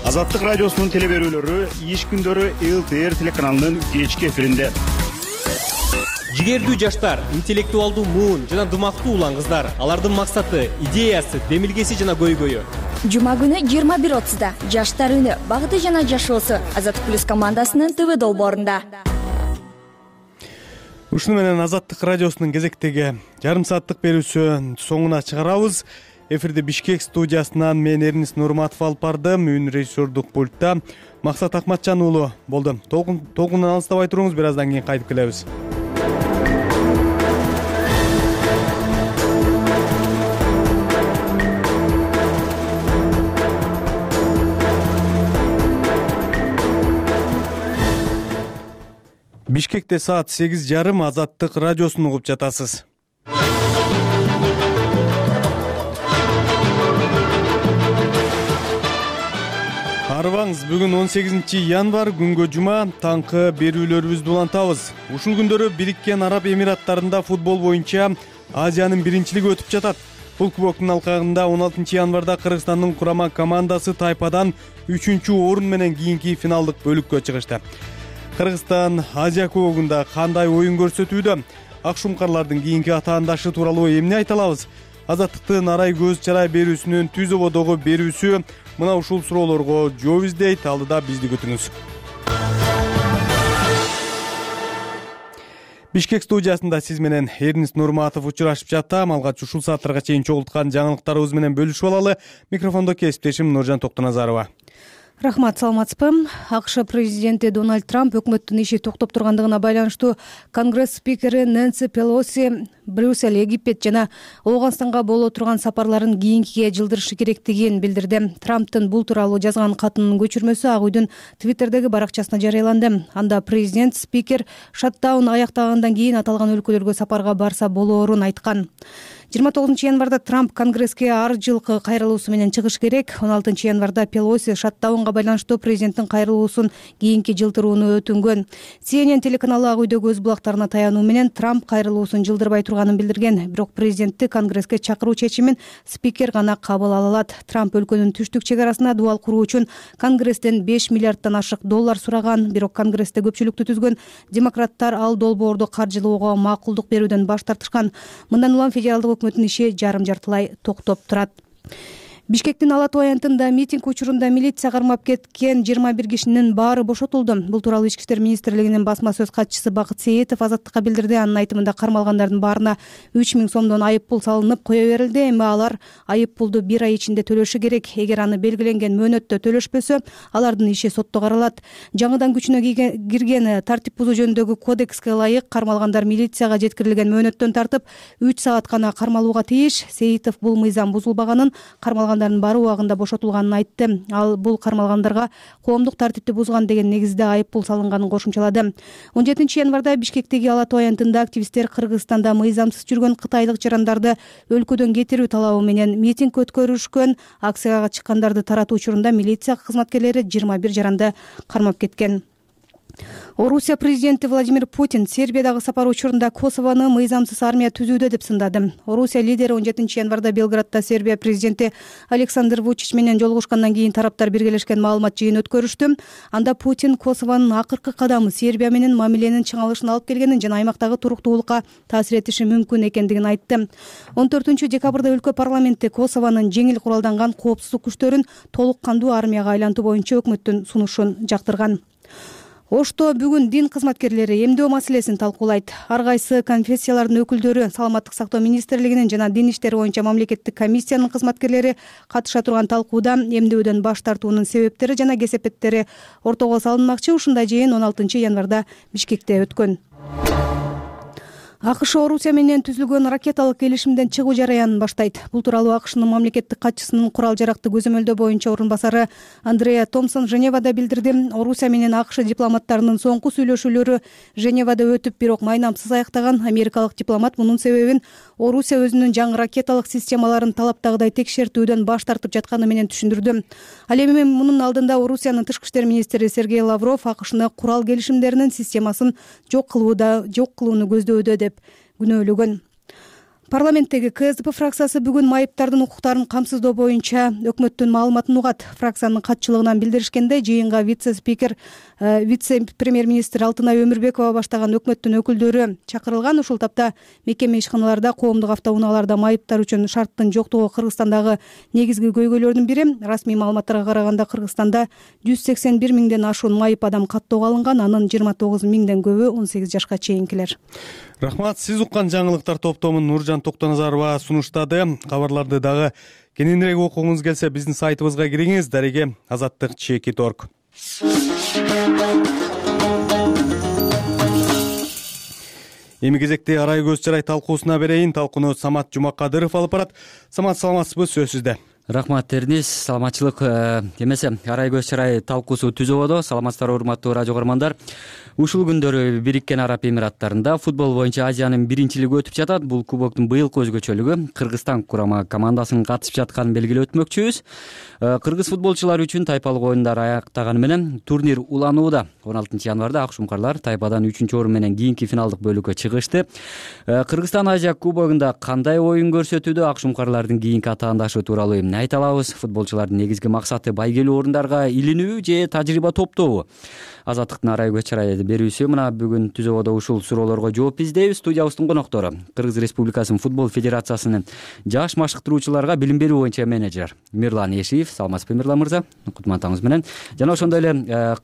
[SPEAKER 2] Азаттык радиосунун теле берүүлөрү иш күндөрү эл ти эр телеканалынын кечки эфиринде.
[SPEAKER 4] Жигердүү жаштар, интеллектуалдуу муун жана дымактуу улан кыздар. Алардын максаты, идеясы, демилгеси жана көйгөйү.
[SPEAKER 5] Жума күнү жыйырма бир отузда жаштар үнү багыты жана жашоосу Азаттык плюс командасынын ТВ долбоорунда.
[SPEAKER 1] Ушуну менен Азаттык радиосунун кезектеги жарым сааттык берүүсү соңуна чыгарабыз. Эфирде Бишкек студиясынан мен Эрнис Нурматов алып бардым. Үн режиссердук пультта Максат Акматжан уулу болду. Толкундан алыстабай туруңуз, бир аздан кийин кайтып келебиз. Бишкекте саат сегиз жарым Азаттык радиосун угуп жатасыз. Арыбаңыз, бүгүн он сегизинчи январь, күнгө жума, таңкы берүүлөрүбүздү улантабыз. Ушул күндөрү Бириккен Араб Эмираттарында футбол боюнча Азиянын биринчилиги өтүп жатат. Бул кубоктун алкагында он алтынчы январда Кыргызстандын курама командасы Тайпадан үчүнчү орун менен кийинки финалдык бөлүккө чыгышты. Кыргызстан Азия кубогунда кандай оюн көрсөтүүдө? Акшумкарлардын кийинки атаандашы тууралуу эмне айта алабыз? Азаттыктын арай көз чарай берүүсүнүн түз ободогу берүүсү мына ушул суроолорго жооп издейт. Алдыда бизди күтүңүз. Бишкек студиясында сиз менен Эрнис Нурматов учурашып жатам. Алгач ушул сааттарга чейин чогулткан жаңылыктарыбыз менен бөлүшүп алалы. Микрофондо кесиптешим Нуржан Токтоназарова.
[SPEAKER 24] Рахмат, саламатсызбы? АКШ президенти Дональд Трамп өкмөттүн иши токтоп тургандыгына байланыштуу Конгресс спикери Нэнси Пелоси Брюссель, Египет жана Ооганстанга боло турган сапарларын кийинкиге жылдырышы керектигин билдирди. Трамптын бул тууралуу жазган катынын көчүрмөсү Ак үйдүн Твиттердеги баракчасына жарыяланды. Анда президент спикер шаттаун аяктагандан кийин аталган өлкөлөргө сапарга барса болоорун айткан. жыйырма тогузунчу январда Трамп Конгресске ар жылкы кайрылуусу менен чыгыш керек. он алтынчы январда Пелоси шаттаунга байланыштуу президенттин кайрылуусун кийинки жылдырууну өтүнгөн. Си Эн Эн телеканалы Ак үйдөгү өз булактарына таянуу менен Трамп кайрылуусун жылдырбай турганын билдирген. Бирок президентти Конгресске чакыруу чечимин спикер гана кабыл ала алат. Трамп өлкөнүн түштүк чек арасына дубал куруу үчүн Конгресстен беш миллиарддан ашык доллар сураган. Бирок Конгрессте көпчүлүктү түзгөн демократтар ал долбоорду каржылоого макулдук берүүдөн баш тартышкан. Мындан улам федералдык өкмөттүн иши жарым жартылай токтоп турат. Бишкектин Ала Тоо аянтында митинг учурунда милиция кармап кеткен жыйырма бир кишинин баары бошотулду. Бул тууралуу Ички иштер министрлигинин басма сөз катчысы Бакыт Сейитов Азаттыкка билдирди. Анын айтымында кармалгандардын баарына үч миң сомдон айып пул салынып кое берилди. Эми алар айып пулду бир ай ичинде төлөшү керек. Эгер аны белгиленген мөөнөттө төлөшпөсө, алардын иши сотто каралат. Жаңыдан күчүнө кирген тартип бузуу жөнүндөгү кодекске ылайык кармалгандар милицияга жеткирилген мөөнөттөн тартып үч саат гана кармалууга тийиш. Сейитов бул мыйзам бузулбаганын, кармалган баары убагында бошотулганын айтты. Ал бул кармалгандарга коомдук тартипти бузган деген негизде айып пул салынганын кошумчалады. он жетинчи январда Бишкектеги Ала Тоо аянтында активисттер Кыргызстанда мыйзамсыз жүргөн кытайлык жарандарды өлкөдөн кетирүү талабы менен митинг өткөрүшкөн. Акцияга чыккандарды таратуу учурунда милиция кызматкерлери жыйырма бир жаранды кармап кеткен. Орусия президенти Владимир Путин Сербиядагы сапар учурунда Косовону мыйзамсыз армия түзүүдө деп сындады. Орусия лидери он жетинчи январда Белградда Сербия президенти Александр Вучич менен жолугушкандан кийин тараптар биргелешкен маалымат жыйын өткөрүштү. Анда Путин Косовонун акыркы кадамы Сербия менен мамиленин чыңалышына алып келгенин жана аймактагы туруктуулукка таасир этиши мүмкүн экендигин айтты. он төртүнчү декабрда өлкө парламенти Косовонун жеңил куралданган коопсуздук күчтөрүн толук кандуу армияга айлантуу боюнча өкмөттүн сунушун жактырган. Ошто бүгүн дин кызматкерлери эмдөө маселесин талкуулайт. Ар кайсы конфессиялардын өкүлдөрү, саламаттык сактоо министрлигинин жана дин иштери боюнча мамлекеттик комиссиянын кызматкерлери катыша турган талкууда эмдөөдөн баш тартуунун себептери жана кесепеттери ортого салынмакчы. Ушундай жыйын он алтынчы январда Бишкекте өткөн. АКШ Орусия менен түзүлгөн ракеталык келишимден чыгуу жараянын баштайт. Бул тууралуу АКШнын мамлекеттик катчысынын курал жаракты көзөмөлдөө боюнча орун басары Андреа Томпсон Женевада билдирди. Орусия менен АКШ дипломаттарынын соңку сүйлөшүүлөрү Женевада өтүп, бирок майнамсыз аяктаган. Америкалык дипломат мунун себебин Орусия өзүнүн жаңы ракеталык системаларын талаптагыдай текшертүүдөн баш тартып жатканы менен түшүндүрдү. Ал эми мунун алдында Орусиянын тышкы иштер министри Сергей Лавров АКШны курал келишимдеринин системасын жок кылууда, жок кылууну көздөүүдө деп күнөөлөгөн. Парламенттеги КСДП фракциясы бүгүн майыптардын укуктарын камсыздоо боюнча өкмөттүн маалыматын угат. Фракциянын катчылыгынан билдиришкенде, жыйынга вице-спикер, вице-премьер-министр Алтынай Өмүрбекова баштаган өкмөттүн өкүлдөрү чакырылган. Ушул тапта мекеме ишканаларда, коомдук автоунааларда майыптар үчүн шарттын жоктугу Кыргызстандагы негизги көйгөйлөрдүн бири. Расмий маалыматтарга караганда, Кыргызстанда жүз сексен бир миңден ашуун майып адам каттоого алынган, анын жыйырма тогуз миңден көбү он сегиз жашка чейинкилер.
[SPEAKER 1] Рахмат. Сиз уккан жаңылыктар топтомун Нуржан Токтоназарова сунуштады. Кабарларды дагы кененирээк окугуңуз келсе, биздин сайтыбызга кириңиз. Дареге азаттык чекит точка орг. Эми кезекте арай көз чарай талкуусуна берейин. Талкууну Самат Жумакадыров алып барат. Самат, саламатсызбы? Сөз сизде.
[SPEAKER 6] Рахмат Терниз, саламатчылык. Эмесе, арай көз чарай талкуусу түзөбөдө. Саламатсыздарбы, урматтуу радио көрөрмандар. Ушул күндөрү Бириккен Араб Эмираттарында футбол боюнча Азиянын биринчилиги өтүп жатат. Бул кубоктун быйылкы өзгөчөлүгү Кыргызстан курама командасынын катышып жатканын белгилеп өтмөкчүбүз. Кыргыз футболчулары үчүн тайпалык оюндар аяктаганы менен турнир уланууда. он алтынчы январда ак шумкарлар тайпадан үчүнчү орун менен кийинки финалдык бөлүккө чыгышты. Кыргызстан Азия кубогунда кандай оюн көрсөтүүдө, ак шумкарлардын кийинки атаандашы тууралуу айта алабыз. Футболчулардын негизги максаты байгелүү орундарга илинүү же тажрыйба топтобу? Азаттыктын арай көз чарай берүүсү мына бүгүн түзөбөдө ушул суроолорго жооп издейбиз. Студиябыздын коноктору Кыргыз Республикасынын футбол федерациясынын жаш машыктыруучуларга билим берүү боюнча менеджер Мирлан Эшиев. Саламатсызбы, Мирлан мырза? Кутман атаңыз менен. Жана ошондой эле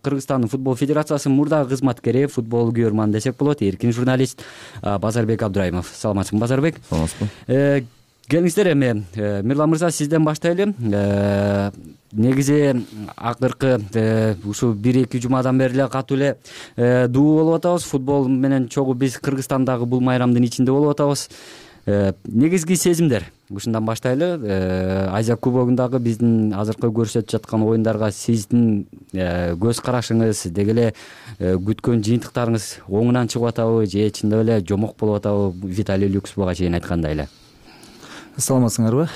[SPEAKER 6] Кыргызстандын футбол федерациясынын мурдагы кызматкери, футбол көрөрман десек болот, эркин журналист Базарбек Абдырайымов. Саламатсызбы, Базарбек?
[SPEAKER 7] Саламатсызбы.
[SPEAKER 6] Келиңиздер, эми Мирлан мырза, сизден баштайлы. Негизи акыркы ушул бир эки жумадан бери эле катуу эле дуу болуп атабыз. Футбол менен чогуу биз Кыргызстандагы бул майрамдын ичинде болуп атабыз. Негизги сезимдер ушундан баштайлы. Азия кубогундагы биздин азыркы көрсөтүп жаткан оюндарга сиздин көз карашыңыз, деги эле күткөн жыйынтыктарыңыз оңунан чыгып атабы же чындап эле жомок болуп атабы? Виталий Люкс буга чейин айткандай эле.
[SPEAKER 7] Саламатсыңарбы?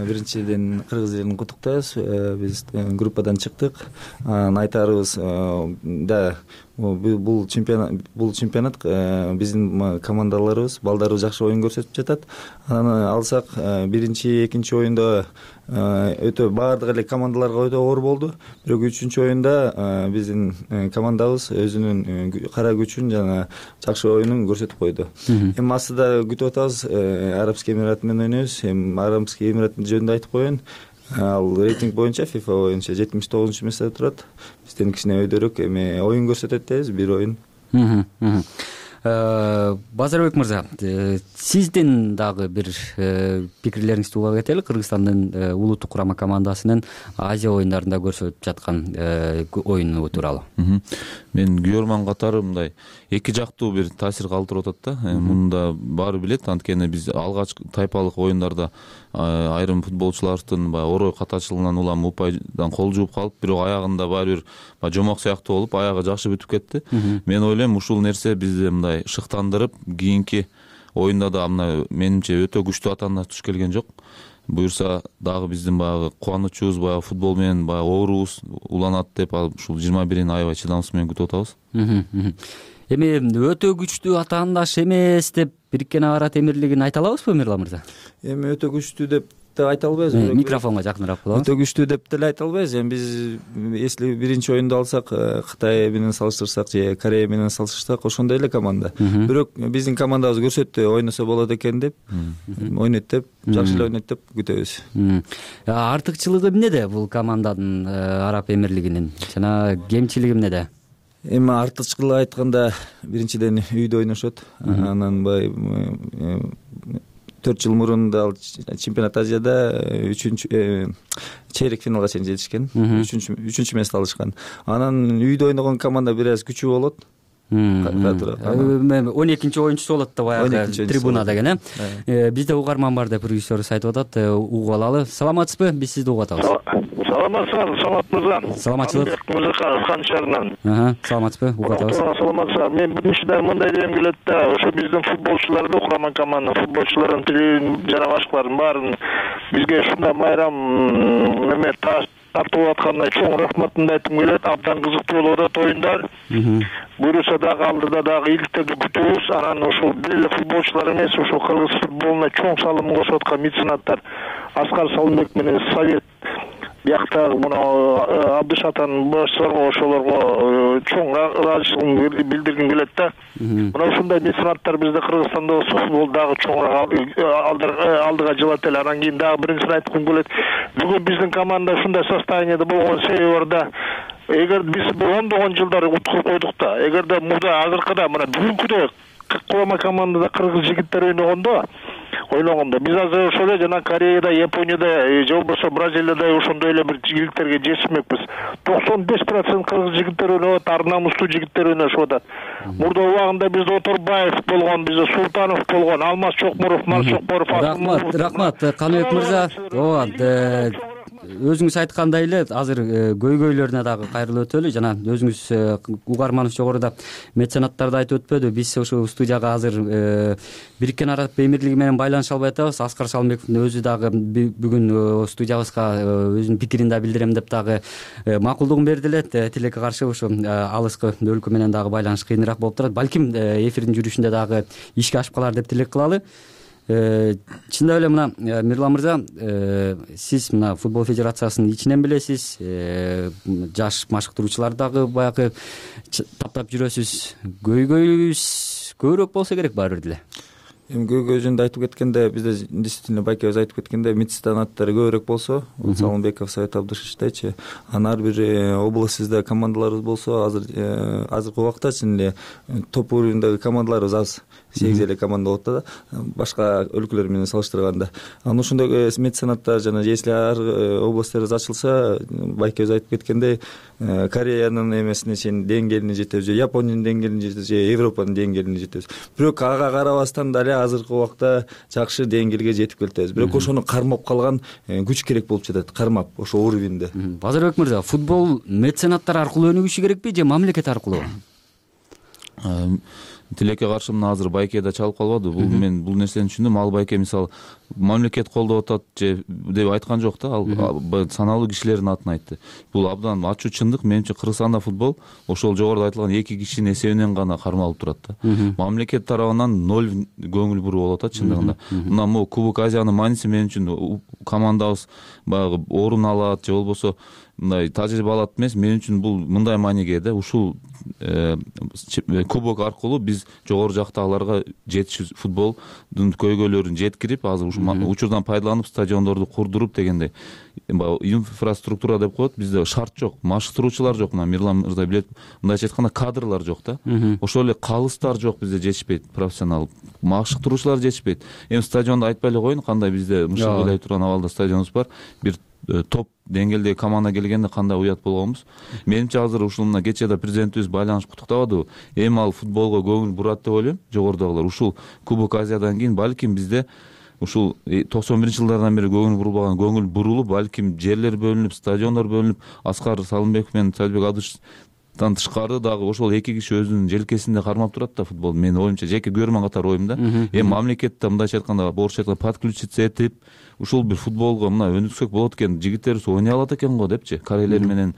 [SPEAKER 7] Биринчиден кыргыз элин куттуктайбыз. Биз группадан чыктык. Айтарыбыз да, бул чемпионат бул чемпионат биздин командаларыбыз, балдарыбыз жакшы оюн көрсөтүп жатат. Аны алсак, биринчи, экинчи оюнда өтө баардык эле командаларга өтө оор болду. Бирок үчүнчү оюнда биздин командабыз өзүнүн кара күчүн жана жакшы оюнун көрсөтүп койду. Эми астыда күтүп атабыз, Арабский Эмират менен ойнойбуз. Эми Арабский Эмираттын жөнүндө айтып коеюн. Ал рейтинг боюнча, FIFA боюнча жетимиш тогузунчу месте турат. Бизден кичине өйдөрөөк, эми оюн көрсөтөт дейбиз, бир оюн.
[SPEAKER 6] Базарбек мырза, сиздин дагы бир пикирлериңизди уга кетели. Кыргызстандын улуттук курама командасынын Азия оюндарында көрсөтүп жаткан оюну тууралуу.
[SPEAKER 7] Мен көрөрман катары мындай эки жактуу бир таасир калтырып атат да. Мында баары билет, анткени биз алгач тайпалык оюндарда айрым футболчулардын баягы орой катачылыгынан улам упайдан кол жууп калып, бирок аягында баары бир жомок сыяктуу болуп, аягы жакшы бүтүп кетти. Мен ойлойм, ушул нерсе бизди мындай шыктандырып, кийинки оюнда да мына менимче өтө күчтүү атаандар туш келген жок. Буюрса дагы биздин баягы кубанычыбыз, баягы футбол менен баягы оорубуз уланат деп, ушул жыйырма бирин аябай чыдамсыз менен күтүп атабыз.
[SPEAKER 6] Эми өтө күчтүү атаандаш эмес деп Бириккен Араб Эмирлигин айта алабызбы, Мирлан мырза?
[SPEAKER 7] Эми өтө күчтүү деп да айта албайбыз.
[SPEAKER 6] Микрофонго жакыныраак болобуз.
[SPEAKER 7] Өтө күчтүү деп деле айта албайбыз. Эми биз если биринчи оюнду алсак, Кытай менен салыштырсак же Корея менен салыштырсак, ошондой эле команда. Бирок биздин командабыз көрсөттү, ойносо болот экен деп, ойнойт деп, жакшы эле ойнойт деп күтөбүз.
[SPEAKER 6] Артыкчылыгы эмнеде бул команданын, Араб Эмирлигинин? Жана кемчилиги эмнеде?
[SPEAKER 7] Эми артыкчылыгы айтканда, биринчиден үйдө ойношот. Анан бай төрт жыл мурун да чемпионат Азияда үчүнчү чейрек финалга чейин жетишкен. үчүнчү үчүнчү месте алышкан. Анан үйдө ойногон команда бир аз күчүү болот.
[SPEAKER 6] он экинчи оюнчусу болот да баягы трибунада экен, э? Бизде угарман бар деп режиссерибиз айтып атат, угуп алалы. Саламатсызбы? Биз сизди угуп атабыз.
[SPEAKER 8] Саламатсызбы, Самат мырза.
[SPEAKER 6] Саламатчылык.
[SPEAKER 8] Мырза Хан шаарынан.
[SPEAKER 6] Ага, саламатсызбы? Угуп атабыз.
[SPEAKER 8] Саламатсызбы. Мен биринчиден мындай дегем келет да, ошо биздин футболчуларды, курама команда футболчуларын тилин жана башкаларын баарын бизге ушундай майрам эме тартып атканына чоң рахматымды айткым келет. Абдан кызыктуу болуп атат оюндар. Буюрса дагы алдыда дагы ийгиликтерди күтөбүз. Анан ошол бир эле футболчулар эмес, ошол кыргыз футболуна чоң салымын кошуп аткан меценаттар Аскар Салымбек менен Совет бияктагы мына Абдыш атанын башчыларга ошолорго чоң ыраазычылыгымды билдиргим келет да. Мына ушундай меценаттар бизде Кыргызстанда болсо футбол дагы чоңураак алдыга жылат эле. Анан кийин дагы биринчисин айткым келет. Бүгүн биздин команда ушундай состояниеде болгон себеби бар да. Эгер биз ондогон жылдар уткуруп койдук да, эгерде мурда азыркыда мына бүгүнкүдөй кулама командада кыргыз жигиттери ойногондо ойногондо биз азыр ошол эле жана Кореяда, Японияда же болбосо Бразилияда ошондой эле бир жигиттерге жетишмекпиз. токсон беш процент кыргыз жигиттери ойноп атат, ар намустуу жигиттер ойношуп атат. Мурда убагында бизде Оторбаев болгон, бизде Султанов болгон, Алмаз Чокмуров, Мар Чокмуров.
[SPEAKER 6] Рахмат, рахмат Каныбек мырза. Ооба, өзүңүз айткандай эле азыр көйгөйлөрүнө дагы кайрылып өтөлү. Жана өзүңүз Угарманов жогоруда меценаттарды айтып өтпөдү. Биз ошо студияга азыр Бириккен Араб Эмирлиги менен байланыша албай атабыз. Аскар Салымбековдун өзү дагы бүгүн студиябызга өзүнүн пикирин да билдирем деп дагы макулдугун берди эле. Тилекке каршы ошо алыскы өлкө менен дагы байланыш кыйыныраак болуп турат. Балким эфирдин жүрүшүндө дагы ишке ашып калар деп тилек кылалы. Чындап эле мына Мирлан мырза, сиз мына футбол федерациясынын ичинен билесиз, жаш машыктыруучуларды дагы баягы таптап жүрөсүз. Көйгөйүбүз көбүрөөк болсо керек баары бир деле.
[SPEAKER 7] Эми көйгөй жөнүндө айтып кеткенде, бизде действительно байкебиз айтып кеткенде меценаттары көбүрөөк болсо, Салымбеков, Совет Абдышевичтейчи, анан ар бир областыбызда командаларыбыз болсо, азыр азыркы убакта чын эле топ уровньдеги командаларыбыз аз. сегиз эле команда болот да, башка өлкөлөр менен салыштырганда. Анан ошондой меценаттар жана если ар областыбыз ачылса, байкебиз айтып кеткендей, Кореянын эмесине чейин деңгээлине жетебиз, же Япониянын деңгээлине жетебиз, же Европанын деңгээлине жетебиз. Бирок ага карабастан дале азыркы убакта жакшы деңгээлге жетип келатабыз. Бирок ошону кармап калган күч керек болуп жатат, кармап ошо уровеньде.
[SPEAKER 6] Базарбек мырза, футбол меценаттар аркылуу өнүгүшү керекпи же мамлекет аркылуу?
[SPEAKER 3] Тилекке каршы мына азыр байке да чалып калбады. Бул мен бул нерсени түшүндүм. Ал байке мисалы мамлекет колдоп атат же деп айткан жок да, ал саналуу кишилердин атын айтты. Бул абдан ачуу чындык. Менимче Кыргызстанда футбол ошол жогоруда айтылган эки кишинин эсебинен гана кармалып турат да. Мамлекет тарабынан ноль көңүл буруу болуп атат чындыгында. Мына могу Кубок Азиянын мааниси мен үчүн командабыз баягы орун алат же болбосо мындай тажрыйба алат эмес. Мен үчүн бул мындай мааниге да, ушул кубок аркылуу биз жогору жактагыларга жетиш футболдун көйгөйлөрүн жеткирип, азыр ушул учурдан пайдаланып стадиондорду курдуруп дегендей инфраструктура деп коет. Бизде шарт жок, машыктыруучулар жок. Мына Мирлан мырза билет, мындайча айтканда кадрлар жок да. Ошол эле калыстар жок, бизде жетишпейт, профессионал машыктыруучулар жетишпейт. Эми стадионду айтпай эле коеюн, кандай бизде мышык ыйлай турган абалда стадионубуз бар. Бир топ деңгээлдеги команда келгенде кандай уят болгонбуз. Менимче азыр ушул мына кечээ да президентибиз байланышып куттуктабадыбы? Эми ал футболго көңүл бурат деп ойлойм. Жогорудагылар ушул Кубок Азиядан кийин балким бизде ушул токсон биринчи жылдардан бери көңүл бурулбаган көңүл бурулуп, балким жерлер бөлүнүп, стадиондор бөлүнүп, Аскар Салымбеков менен Салбек Абдышевичтен тышкары дагы ошол эки киши өзүнүн желкесинде кармап турат да футбол. Менин оюмча, жеке көрмөн катары оюм да. Эми мамлекетте мындайча айтканда, орусча айтканда подключиться этип, ушул бир футболго мына өнүксөк болот экен, жигиттерибиз ойной алат экен го депчи, корейлер менен.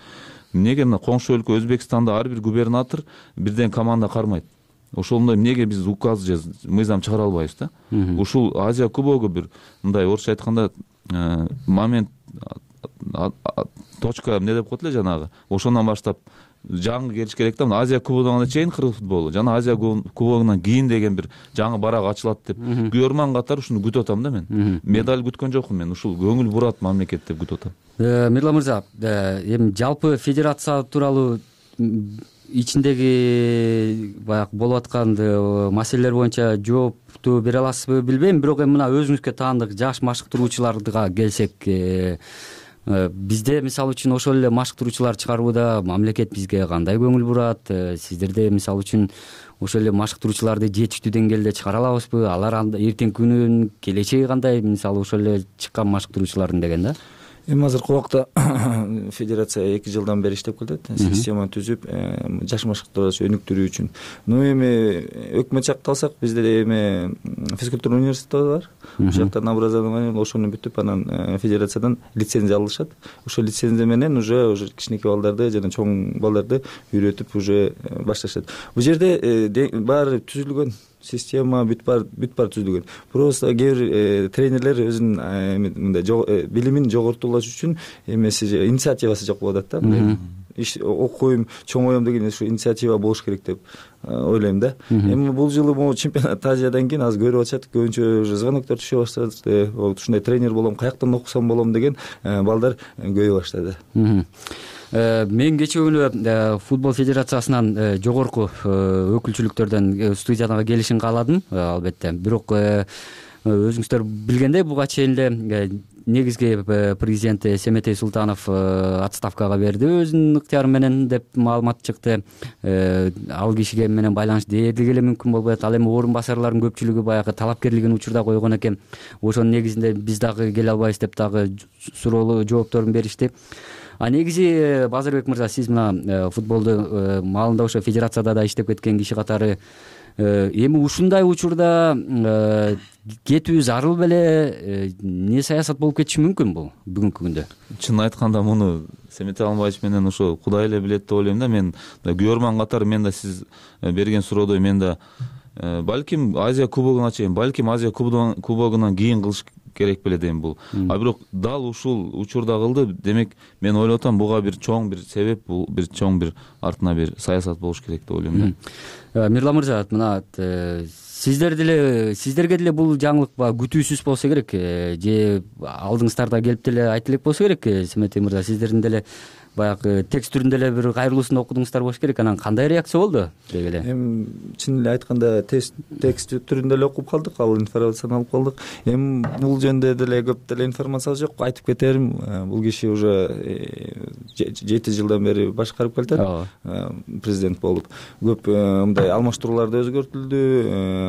[SPEAKER 3] Эмнеге мына коңшу өлкө Өзбекстанда ар бир губернатор бирден команда кармайт? Ошондой эмнеге биз указ же мыйзам чыгара албайбыз да? Ушул Азия кубогу бир мындай орусча айтканда момент, точка эмне деп коет эле жанагы. Ошондон баштап жаңы келиш керек да. Азия кубогуна чейин кыргыз футболу, жана Азия кубогунан кийин деген бир жаңы барак ачылат деп көрмөн катары ушуну күтүп атам да мен. Медаль күткөн жокмун мен, ушул көңүл бурат мамлекет деп күтүп атам.
[SPEAKER 6] Мирлан мырза, эми жалпы федерация тууралуу ичиндеги баягы болуп аткан маселелер боюнча жоопту бере аласызбы билбейм, бирок эми мына өзүңүзгө таандык жаш машыктыруучуларга келсек, бизде мисалы үчүн ошол эле машыктыруучулар чыгарууда мамлекет бизге кандай көңүл бурат? Сиздерде мисалы үчүн ошол эле машыктыруучуларды жетиштүү деңгээлде чыгара алабызбы? Алар эртеңки күнүн келечеги кандай? Мисалы ошол эле чыккан машыктыруучулардын деген да.
[SPEAKER 7] эми азыркы убакта федерация эки жылдан бери иштеп келатат, система түзүп жаш машыктарды өнүктүрүү үчүн. Но эми өкмөт жакты алсак, бизде эми физкультура университети бар. Ошол жактан образование ошону бүтүп, анан федерациядан лицензия алышат. Ошол лицензия менен уже уже кичинекей балдарды жана чоң балдарды үйрөтүп уже башташат. Бул жерде баары түзүлгөн система бүт бар бүт бар түзүлгөн. Просто кээ бир тренерлер өзүнүн мындай билимин жоготулаш үчүн эмеси инициативасы жок болуп атат да. Иш окуйм, чоңоем деген ушу инициатива болуш керек деп ойлойм да. Эми бул жылы могу чемпионат Азиядан кийин азыр көрүп атышат, көбүнчө уже звоноктор түшө баштады. Ушундай тренер болом, каяктан окусам болом деген балдар көбөйө баштады.
[SPEAKER 6] Мен кечээ күнү футбол федерациясынан жогорку өкүлчүлүктөрдөн студияга келишин кааладым, албетте. Бирок өзүңүздөр билгендей, буга чейин эле негизги президент Семетей Султанов отставкага берди өзүнүн ыктыяры менен деп маалымат чыкты. Ал кишиге менен байланыш дээрлик эле мүмкүн болбойт. Ал эми орун басарлардын көпчүлүгү баягы талапкерлигин учурда койгон экен. Ошонун негизинде биз дагы келе албайбыз деп дагы суроолуу жоопторун беришти. А негизи Базарбек мырза, сиз мына футболду маалында ошо федерацияда да иштеп кеткен киши катары эми ушундай учурда кетүү зарыл беле, эмне саясат болуп кетиши мүмкүн бул бүгүнкү күндө?
[SPEAKER 3] Чын айтканда муну Семетей Алмабаевич менен ошо Кудай эле билет деп ойлойм да. Мен көрөрман катары мен да сиз берген суроодой мен да балким Азия кубогуна чейин, балким Азия кубогунан кийин кылыш керек беле дейм бул. А бирок дал ушул учурда кылды. Демек мен ойлоп атам, буга бир чоң бир себеп, бул бир чоң бир артына бир саясат болуш керек деп ойлойм да.
[SPEAKER 6] Мирлан мырза, мына сиздер деле сиздерге деле бул жаңылык күтүүсүз болсо керек, же алдыңыздарда келип деле айтып элек болсо керек, Семетей мырза, сиздердин деле баягы текст түрүндө эле бир кайрылуусун окудуңуздар болуш керек. Анан кандай реакция болду деп эле?
[SPEAKER 7] Эми чын эле айтканда текст түрүндө эле окуп калдык, ал информацияны алып калдык. Эми бул жөнүндө деле көп деле информация жок. Айтып кетерим, бул киши уже жети жылдан бери башкарып келатат, президент болуп. Көп мындай алмаштырууларды өзгөртүлдү.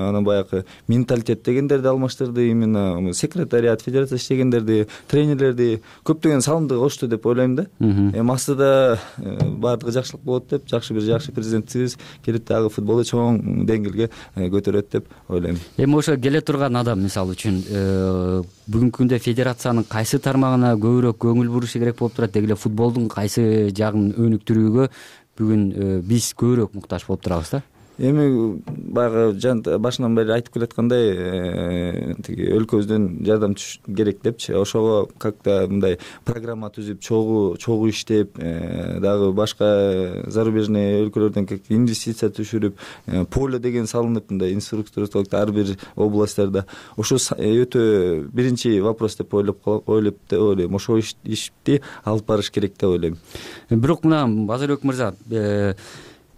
[SPEAKER 7] Анан баягы менталитет дегендерди алмаштырды, именно секретариат, федерация иштегендерди, тренерлерди көптөгөн салымды кошту деп ойлойм да. Эми астыда баардыгы жакшылык болот деп, жакшы бир жакшы президентибиз келип дагы футболду чоң деңгээлге көтөрөт деп ойлойм.
[SPEAKER 6] Эми ошо келе турган адам, мисалы үчүн, бүгүнкү күндө федерациянын кайсы тармагына көбүрөөк көңүл бурушу керек болуп турат, деги эле футболдун кайсы жагын өнүктүрүүгө бүгүн биз көбүрөөк муктаж болуп турабыз да?
[SPEAKER 7] Эми баягы башынан бери айтып келаткандай, тиги өлкөбүздөн жардам керек депчи, ошого как-то мындай программа түзүп, чогуу чогуу иштеп, дагы башка зарубежный өлкөлөрдөн инвестиция түшүрүп, поле деген салынып, мындай инфраструктура ар бир областьтарда. Ошо өтө биринчи вопрос деп ойлоп ойлоп деп ойлойм. Ошо ишти алып барыш керек деп ойлойм.
[SPEAKER 6] Бирок мына Базарбек мырза,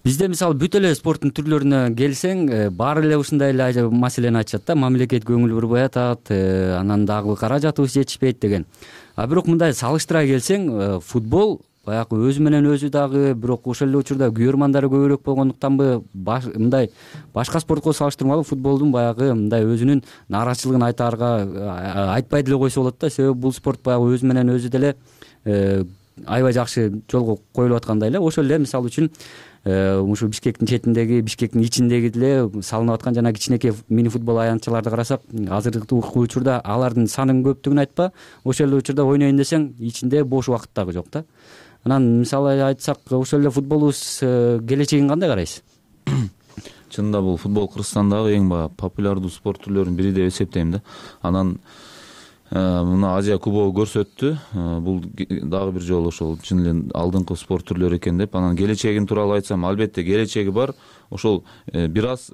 [SPEAKER 6] бизде мисалы бүт эле спорттун түрлөрүнө келсең, баары эле ушундай эле маселени айтышат да, мамлекет көңүл бурбай атат, анан дагы каражатыбыз жетишпейт деген. А бирок мындай салыштыра келсең, футбол баягы өзү менен өзү дагы, бирок ошол эле учурда күйөрмандары көбүрөөк болгондуктанбы, мындай башка спортко салыштырмалуу футболдун баягы мындай өзүнүн нааразычылыгын айтаарга айтпай деле койсо болот да, себеби бул спорт баягы өзү менен өзү деле аябай жакшы жолго коюлуп аткандай эле. Ошол эле мисалы үчүн ушу Бишкектин четиндеги, Бишкектин ичиндеги деле салынып аткан жана кичинекей мини футбол аянтчаларды карасак, азыркы учурда алардын санынын көптүгүн айтпа, ошол эле учурда ойнойн десең, ичинде бош убакыт дагы жок да. Анан мисалы айтсак, ошол эле футболубуз келечегин кандай карайсыз?
[SPEAKER 3] Чынында бул футбол Кыргызстандагы эң баягы популярдуу спорт түрлөрүнүн бири деп эсептейм да. Анан мына Азия кубогу көрсөттү, бул дагы бир жолу ошол чын эле алдыңкы спорт түрлөрү экен деп. Анан келечегин тууралуу айтсам, албетте келечеги бар. Ошол бир аз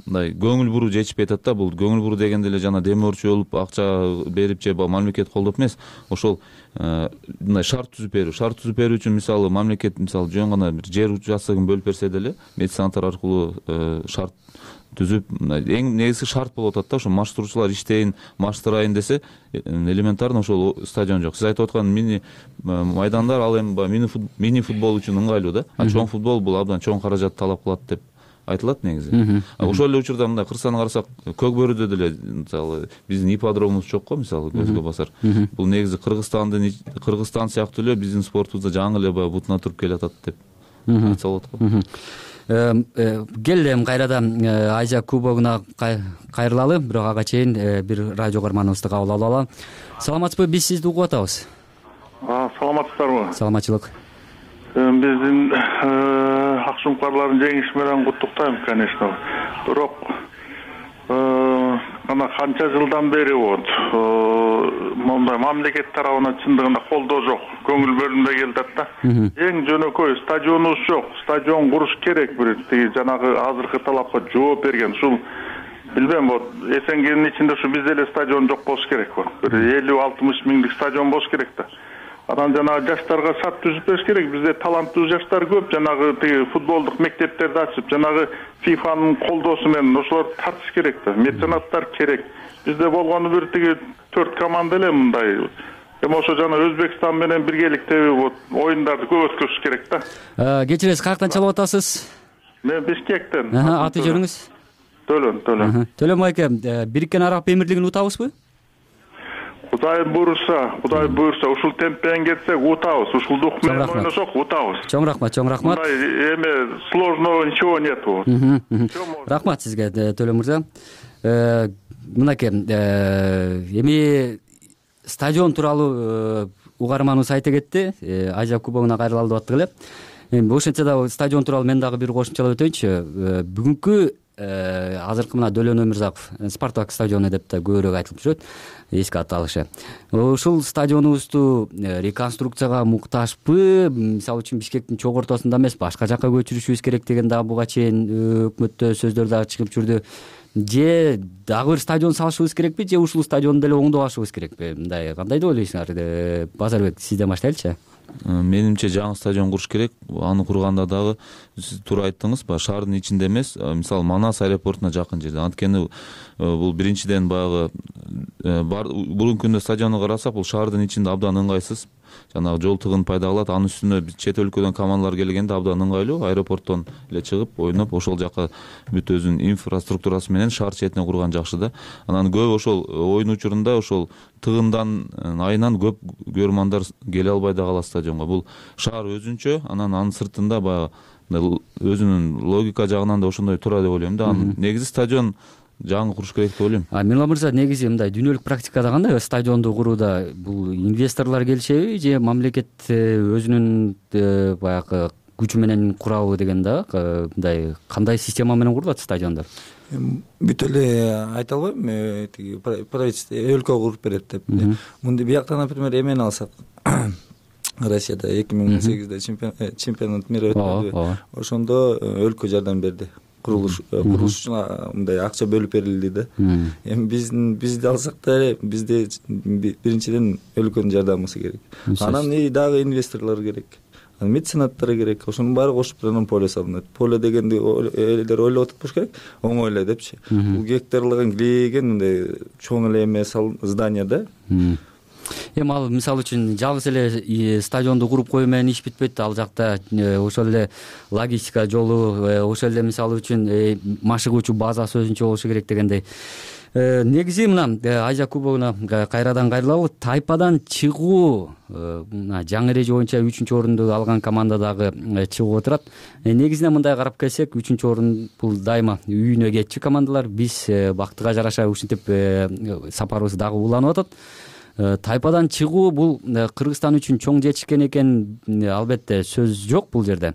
[SPEAKER 3] мындай көңүл буруу жетишпей атат да. Бул көңүл буруу дегенде эле жана демөөрчү болуп, акча берип же мамлекет колдоп эмес. Ошол мындай шарт түзүп берүү, шарт түзүп берүү үчүн мисалы мамлекет мисалы жөн гана бир жер участогун бөлүп берсе деле, меценаттар аркылуу шарт түзүп, эң негизги шарт болуп атат да, ошо маштыруучулар иштейин, маштырайын десе, элементарно ошол стадион жок. Сиз айтып аткан мини майдандар ал эми мини футбол үчүн ыңгайлуу да. А чоң футбол бул абдан чоң каражат талап кылат деп айтылат негизи. Ошол эле учурда мындай кырсаны карасак, Көк бөрүдө деле мисалы биздин ипподромубуз жок го, мисалы көзгө басар. Бул негизи Кыргызстандын Кыргызстан сыяктуу эле биздин спортубузда жаңы эле баягы бутуна туруп келатат деп айтса болот го.
[SPEAKER 6] Келди эми кайрадан Азия кубогуна кайрылалы, бирок ага чейин бир радио каарманыбызды кабыл алып алалы. Саламатсызбы, биз сизди угуп атабыз.
[SPEAKER 9] Саламатсыздарбы?
[SPEAKER 6] Саламатчылык.
[SPEAKER 9] Биздин аксумкарлардын жеңиши менен куттуктайм, конечно. Бирок ана канча жылдан бери вот мондай мамлекет тарабынан чындыгында колдоо жок, көңүл бөлүнбөй келатат да. Эң жөнөкөй стадионубуз жок, стадион куруш керек, бир тиги жанагы азыркы талапка жооп берген. Ушул билбейм, вот Эсенгенин ичинде ушу бизде эле стадион жок болуш керек го. Бир элүү алтымыш миңдик стадион болуш керек да. Анан жанагы жаштарга сат түзүп бериш керек. Бизде таланттуу жаштар көп, жанагы тиги футболдук мектептерди ачып, жанагы фифанын колдоосу менен ошолорду тартыш керек да. Меценаттар керек. Бизде болгону бир тиги төрт команда эле мындай. Эми ошо жана Өзбекстан менен биргеликте вот оюндарды көп өткөрүш керек да.
[SPEAKER 6] Кечиресиз, каяктан чалып атасыз?
[SPEAKER 9] Мен Бишкектен.
[SPEAKER 6] Аты жөнүңүз?
[SPEAKER 9] Төлөн, Төлөн.
[SPEAKER 6] Төлөн майке, Бириккен Араб Эмирлигин утабызбы?
[SPEAKER 9] Кудай буйрса, Кудай буйрса, ушул темпен кетсек утабыз, ушул дух менен ойношок утабыз.
[SPEAKER 6] Чоң рахмат, чоң рахмат.
[SPEAKER 9] Мындай эме сложного ничего нету.
[SPEAKER 6] Рахмат сизге, Төлөн мырза. Мынакей, эми стадион тууралуу угарманыбыз айта кетти, Азия кубогуна кайрылалы деп аттык эле. Эми ошентсе да стадион тууралуу мен дагы бир кошумчалап өтөйүнчү. Бүгүнкү азыркы мына Дөлөн Өмүрзаков Спартак стадиону деп да көбүрөөк айтылып жүрөт, эске аталышы. Ушул стадионубузду реконструкцияга муктажбы? Мисалы үчүн Бишкектин чогуу ортосунда эмес, башка жакка көчүрүшүбүз керек деген дагы буга чейин өкмөттө сөздөр дагы чыгып жүрдү. Же дагы бир стадион салышыбыз керекпи, же ушул стадионду деле оңдоп алышыбыз керекпи? Мындай кандай деп ойлойсуңар? Базарбек, сизден баштайлычы.
[SPEAKER 3] Менимче жаңы стадион куруш керек. Аны курганда дагы сиз туура айттыңыз, баягы шаардын ичинде эмес, мисалы Манас аэропортуна жакын жерде. Анткени бул биринчиден баягы бүгүнкү күндө стадионду карасак, бул шаардын ичинде абдан ыңгайсыз. Жанагы жол тыгын пайда кылат. Анын үстүнө чет өлкөдөн командалар келгенде абдан ыңгайлуу. Аэропорттон эле чыгып, ойноп, ошол жака бүт өзүнүн инфраструктурасы менен шаар четине курган жакшы да. Анан көп ошол оюн учурунда ошол тыгындан айынан көп көрөрмандар келе албай да калат стадионго. Бул шаар өзүнчө, анан анын сыртында баягы өзүнүн логика жагынан да ошондой туура деп ойлойм да. Негизи стадион жаңы куруш керек деп ойлойм.
[SPEAKER 6] Мирла мырза, негизи мындай дүйнөлүк практикада кандай стадионду курууда? Бул инвесторлор келишеби же мамлекет өзүнүн баягы күчү менен курабы деген да? Мындай кандай система менен курулат стадиондор?
[SPEAKER 7] Бүт эле айта албайм, тиги правительство өлкө куруп берет деп. Мындай бияктан, например, эмени алсак, Россияда эки миң он сегизде чемпионат мира өткөндү. Ошондо өлкө жардам берди. Курулуш курулуш үчүн мындай акча бөлүп берилди да. Эми биздин бизди алсак да, бизде биринчиден өлкөнүн жардамысы керек. Анан дагы инвесторлор керек. Анан меценаттар керек. Ошонун баары кошуп анан поле салынат. Поле дегенди элдер ойлоп атып болуш керек. Оңой эле депчи. Бул гектарлыгын килейген мындай чоң эле эме здание да.
[SPEAKER 6] Эми ал мисалы үчүн жалгыз эле стадионду куруп коюу менен иш бүтпөйт. Ал жакта ошол эле логистика жолу, ошол эле мисалы үчүн машыгуучу базасы өзүнчө болушу керек дегендей. Негизи мына Азия кубогуна кайрадан кайрылалы. Тайпадан чыгуу мына жаңы эреже боюнча үчүнчү орунду алган команда дагы чыгып отурат. Негизинен мындай карап келсек, үчүнчү орун бул дайыма үйүнө кетчү командалар. Биз бактыга жараша ушинтип сапарыбыз дагы уланып атат. Тайпадан чыгуу бул Кыргызстан үчүн чоң жетишкен экен, албетте сөз жок бул жерде.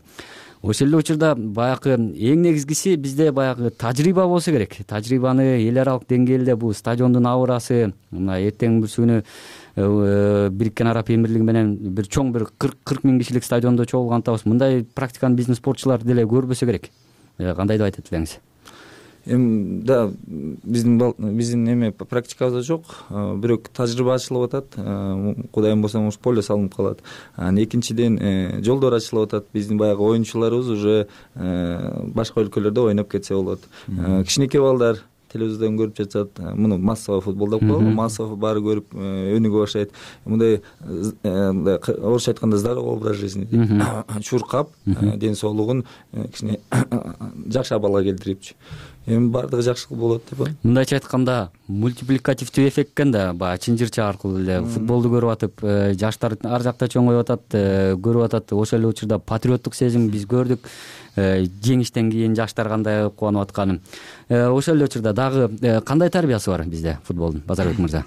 [SPEAKER 6] Ошол эле учурда баягы эң негизгиси бизде баягы тажрыйба болсо керек. Тажрыйбаны эл аралык деңгээлде бул стадиондун аурасы, мына эртең бүрсүгүнү Бириккен Араб Эмирлиги менен бир чоң бир кырк миң кишилик стадиондо чогулган атабыз. Мындай практиканы биздин спортчулар деле көрбөсө керек. Кандай деп айтат элеңиз?
[SPEAKER 7] Эми да биздин биздин эме практикабызда жок, бирок тажрыйба ачылып атат. Кудайым болсо ушу поле салынып калат. Анан экинчиден жолдор ачылып атат. Биздин баягы оюнчуларыбыз уже башка өлкөлөрдө ойноп кетсе болот. Кичинекей балдар телевизордон көрүп жатышат, муну массовый футбол деп коелу, массовый баары көрүп өнүгө баштайт. Мындай орусча айтканда здоровый образ жизни дейт, чуркап ден соолугун кичине жакшы абалга келтирипчи. Эми баардыгы жакшы болот деп ойлойм.
[SPEAKER 6] Мындайча айтканда мультипликативдүү эффект экен да, баягы чынжырча аркылуу эле футболду көрүп атып, жаштар ар жакта чоңоюп атат, көрүп атат. Ошол эле учурда патриоттук сезим биз көрдүк. Жеңиштен кийин жаштар кандай кубанып атканын. Ошол эле учурда дагы кандай тарбиясы бар бизде футболдун, Базарбек мырза?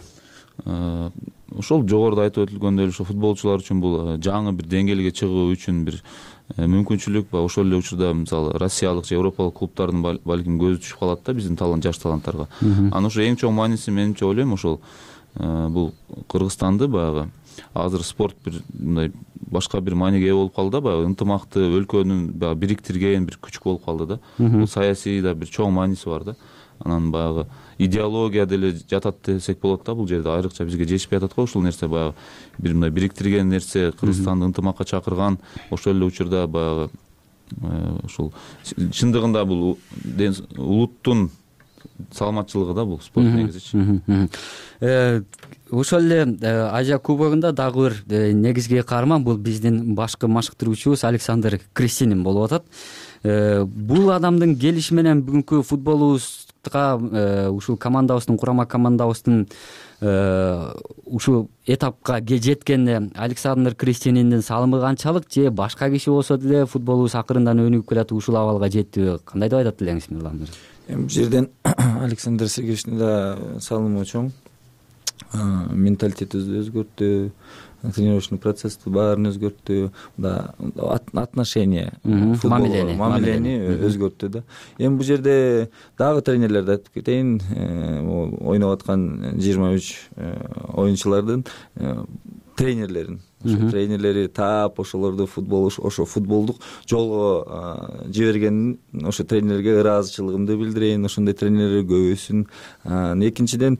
[SPEAKER 3] Ошол жогоруда айтып өтүлгөндөй эле ошо футболчулар үчүн бул жаңы бир деңгээлге чыгуу үчүн бир мүмкүнчүлүк. Ошол эле учурда мисалы россиялык же европалык клубтардын балким көзү түшүп калат да биздин талант жаш таланттарга. Анан ошо эң чоң мааниси менимче ойлойм ошол бул Кыргызстанды баягы азыр спорт бир мындай башка бир мааниге ээ болуп калды да, баягы ынтымакты өлкөнүн баягы бириктирген бир күч болуп калды да. Бул саясий да бир чоң мааниси бар да. Анан баягы идеология деле жатат десек болот да, бул жерде айрыкча бизге жетишпей атат го ушул нерсе, баягы бир мындай бириктирген нерсе, Кыргызстанды ынтымакка чакырган. Ошол эле учурда баягы ушул чындыгында бул улуттун саламатчылыгы да бул спорт негизичи.
[SPEAKER 6] Ошол эле Азия кубогунда дагы бир негизги каарман бул биздин башкы машыктыруучубуз Александр Крестинин болуп атат. Бул адамдын келиши менен бүгүнкү футболубузга, ушул командабыздын, курама командабыздын ушул этапка жеткенине Александр Крестининдин салымы канчалык, же башка киши болсо деле футболубуз акырындан өнүгүп келатып ушул абалга жеттиби? Кандай деп айтат элеңиз, Мирлан мырза?
[SPEAKER 7] Эми бул жерден Александр Сергеевичтин да салымы чоң. Менталитетибизди өзгөрттү, тренировочный процессти баарын өзгөрттү, да отношение, футболго мамилени өзгөрттү да. Эми бул жерде дагы тренерлерди айтып кетейин, ойноп аткан жыйырма үч оюнчулардын тренерлерин, ошо тренерлери таап ошолорду футбол ошо футболдук жолго жибергенин, ошо тренерлерге ыраазычылыгымды билдирейин. Ошондой тренерлер көбөйсүн. Экинчиден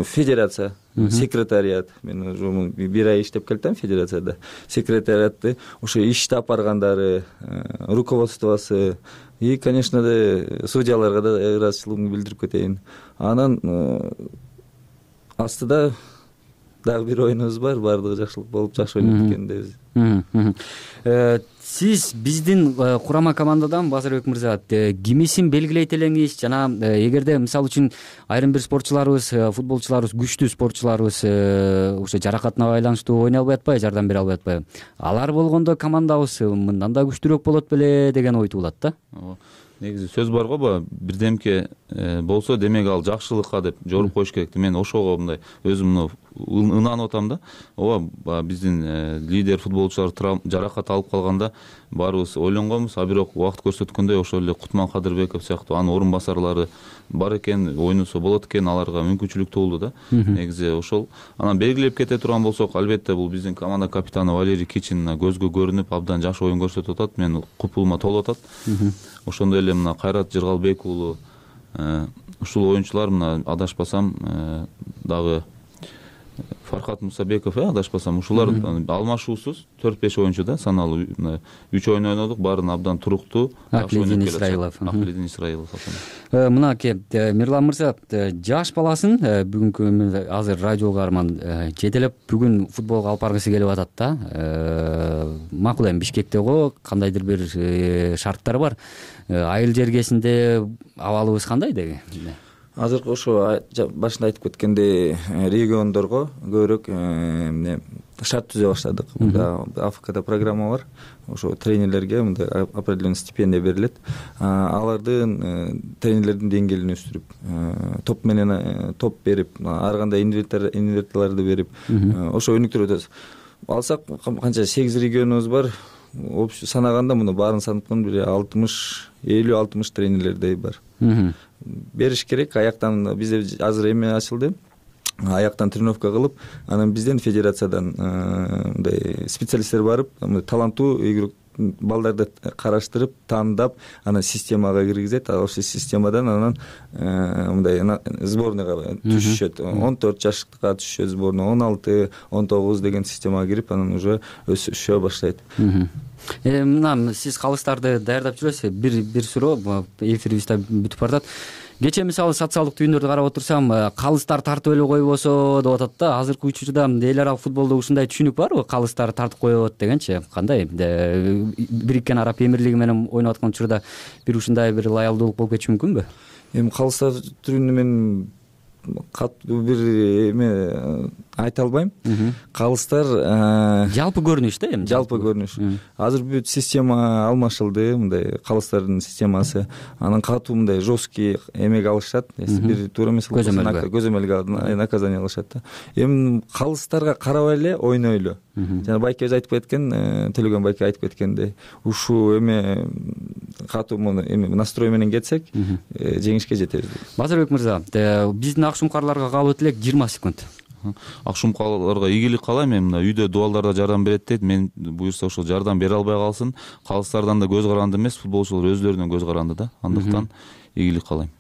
[SPEAKER 7] федерация, секретариат, мен уже бир ай иштеп келатам федерацияда. Секретариатты ошо ишти алып баргандары, руководствосу и, конечно да, судьяларга да ыраазычылыгымды билдирип кетейин. Анан астыда дагы бир оюнубуз бар, баардыгы жакшылык болуп, жакшы ойнойт экен дейбиз.
[SPEAKER 6] Сиз биздин курама командадан, Базарбек мырза, кимисин белгилейт элеңиз? Жана эгерде мисалы үчүн айрым бир спортчуларыбыз, футболчуларыбыз, күчтүү спортчуларыбыз ошо жаракатына байланыштуу ойной албай атпайбы, жардам бере албай атпайбы? Алар болгондо командабыз мындан да күчтүүрөөк болот беле деген ой туулат да.
[SPEAKER 3] Негизи сөз бар го, баягы бирдемке болсо демек ал жакшылыкка деп жоруп коюш керек. Мен ошого мындай өзүм ынанып атам да. Ооба биздин лидер футболчулар жаракат алып калганда баарыбыз ойлонгонбуз, а бирок убакыт көрсөткөндөй ошол эле Кутман Кадырбеков сыяктуу анын орун басарлары бар экен, ойносо болот экен, аларга мүмкүнчүлүк туулду да. Негизи ошол. Анан белгилеп кете турган болсок, албетте бул биздин команда капитаны Валерий Кичин көзгө көрүнүп, абдан жакшы оюн көрсөтүп атат. Мен купулума толуп атат. Ошондой эле мына Кайрат Жыргалбек уулу, ушул оюнчулар мына адашпасам дагы Фархат Мусабеков, адашпасам, ушулар алмашуусуз төрт беш оюнчу да, саналуу үч оюн ойнодук, баарын абдан туруктуу.
[SPEAKER 6] Аклидин Исраилов.
[SPEAKER 3] Аклидин Исраилов.
[SPEAKER 6] Мынакей Мирлан мырза, жаш баласын бүгүнкү азыр радио каарман жетелеп бүгүн футболго алып баргысы келип атат да. Макул эми Бишкекте го кандайдыр бир шарттар бар. Айыл жергесинде абалыбыз кандай деги?
[SPEAKER 7] Азыркы ошо башында айтып кеткендей региондорго көбүрөөк эмне шарт түзө баштадык. Мында АФКда программа бар. Ошо тренерлерге мындай определенный стипендия берилет. Алардын тренерлердин деңгээлин өстүрүп, топ менен топ берип, ар кандай инверталарды берип, ошо өнүктүрүп атабыз. Алсак канча сегиз регионубуз бар. Общий санаганда муну баарын санатканда бир алтымыш, элүү алтымыш тренерлердей бар. Бериш керек. Аяктан бизде азыр эме ачылды. Аяктан тренировка кылып, анан бизден федерациядан мындай специалисттер барып, таланттуу игрок балдарды караштырып, тандап, анан системага киргизет. Ошол системадан анан мындай сборныйга түшүшөт. он төрт жаштыкка түшүшөт сборный, он алты, он тогуз деген системага кирип, анан уже өсүшө баштайт.
[SPEAKER 6] мына сиз калыстарды даярдап жүрөсүз, бир бир суроо, эфирибиз да бүтүп баратат. Кечээ мисалы социалдык түйүндөрдү карап отурсам, калыстар тартып эле койбосо деп атат да. Азыркы учурда эл аралык футболдо ушундай түшүнүк барбы? Калыстар тартып коебот дегенчи. Кандай? Бириккен Араб Эмирлиги менен ойноп аткан учурда бир ушундай бир лаялдуулук болуп кетиши мүмкүнбү?
[SPEAKER 7] Эми калыстар түрүндө мен катуу бир эме айта албайм. Калыстар
[SPEAKER 6] жалпы көрүнүш да, эми
[SPEAKER 7] жалпы көрүнүш. Азыр бүт система алмашылды, мындай калыстардын системасы. Анан катуу мындай жесткий эмеге алышат. Бир туура эмес көзөмөлгө наказание алышат да. Эми калыстарга карабай эле ойнойлу. Жана байке өзү айтып кеткен, Төлөгөн байке айтып кеткендей, ушул эме катуу эме настрой менен кетсек, жеңишке жетебиз.
[SPEAKER 6] Базарбек мырза, биздин акшумкарларга калып элек жыйырма секунд.
[SPEAKER 3] Акшумкарларга ийгилик каалайм. Мен мына үйдө дубалдарда жардам берет дейт. Мен буюрса ошол жардам бере албай калсын. Калыстардан да көз каранды эмес, футболчулар өзлөрүнөн көз каранды да. Андыктан ийгилик каалайм.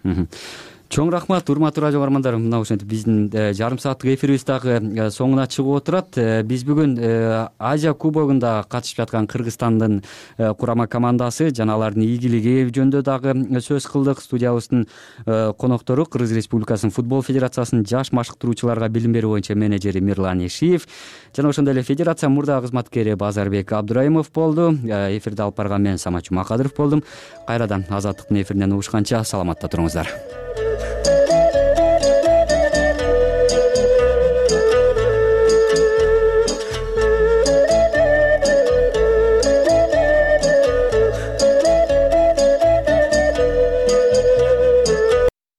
[SPEAKER 6] Чоң рахмат, урматтуу радио көрөрмандар. Мына ушинтип биздин жарым сааттык эфирибиз дагы соңуна чыгып отурат. Биз бүгүн Азия кубогунда катышып жаткан Кыргызстандын курама командасы жана алардын ийгилиги жөнүндө дагы сөз кылдык. Студиябыздын коноктору Кыргыз Республикасынын футбол федерациясынын жаш машыктыруучуларга билим берүү боюнча менеджери Мирлан Ишиев жана ошондой эле федерация мурда кызматкери Базарбек Абдурайымов болду. Эфирди алып барган мен Самат Жумакадыров болдум. Кайрадан Азаттыктын эфиринен угушканча саламатта туруңуздар.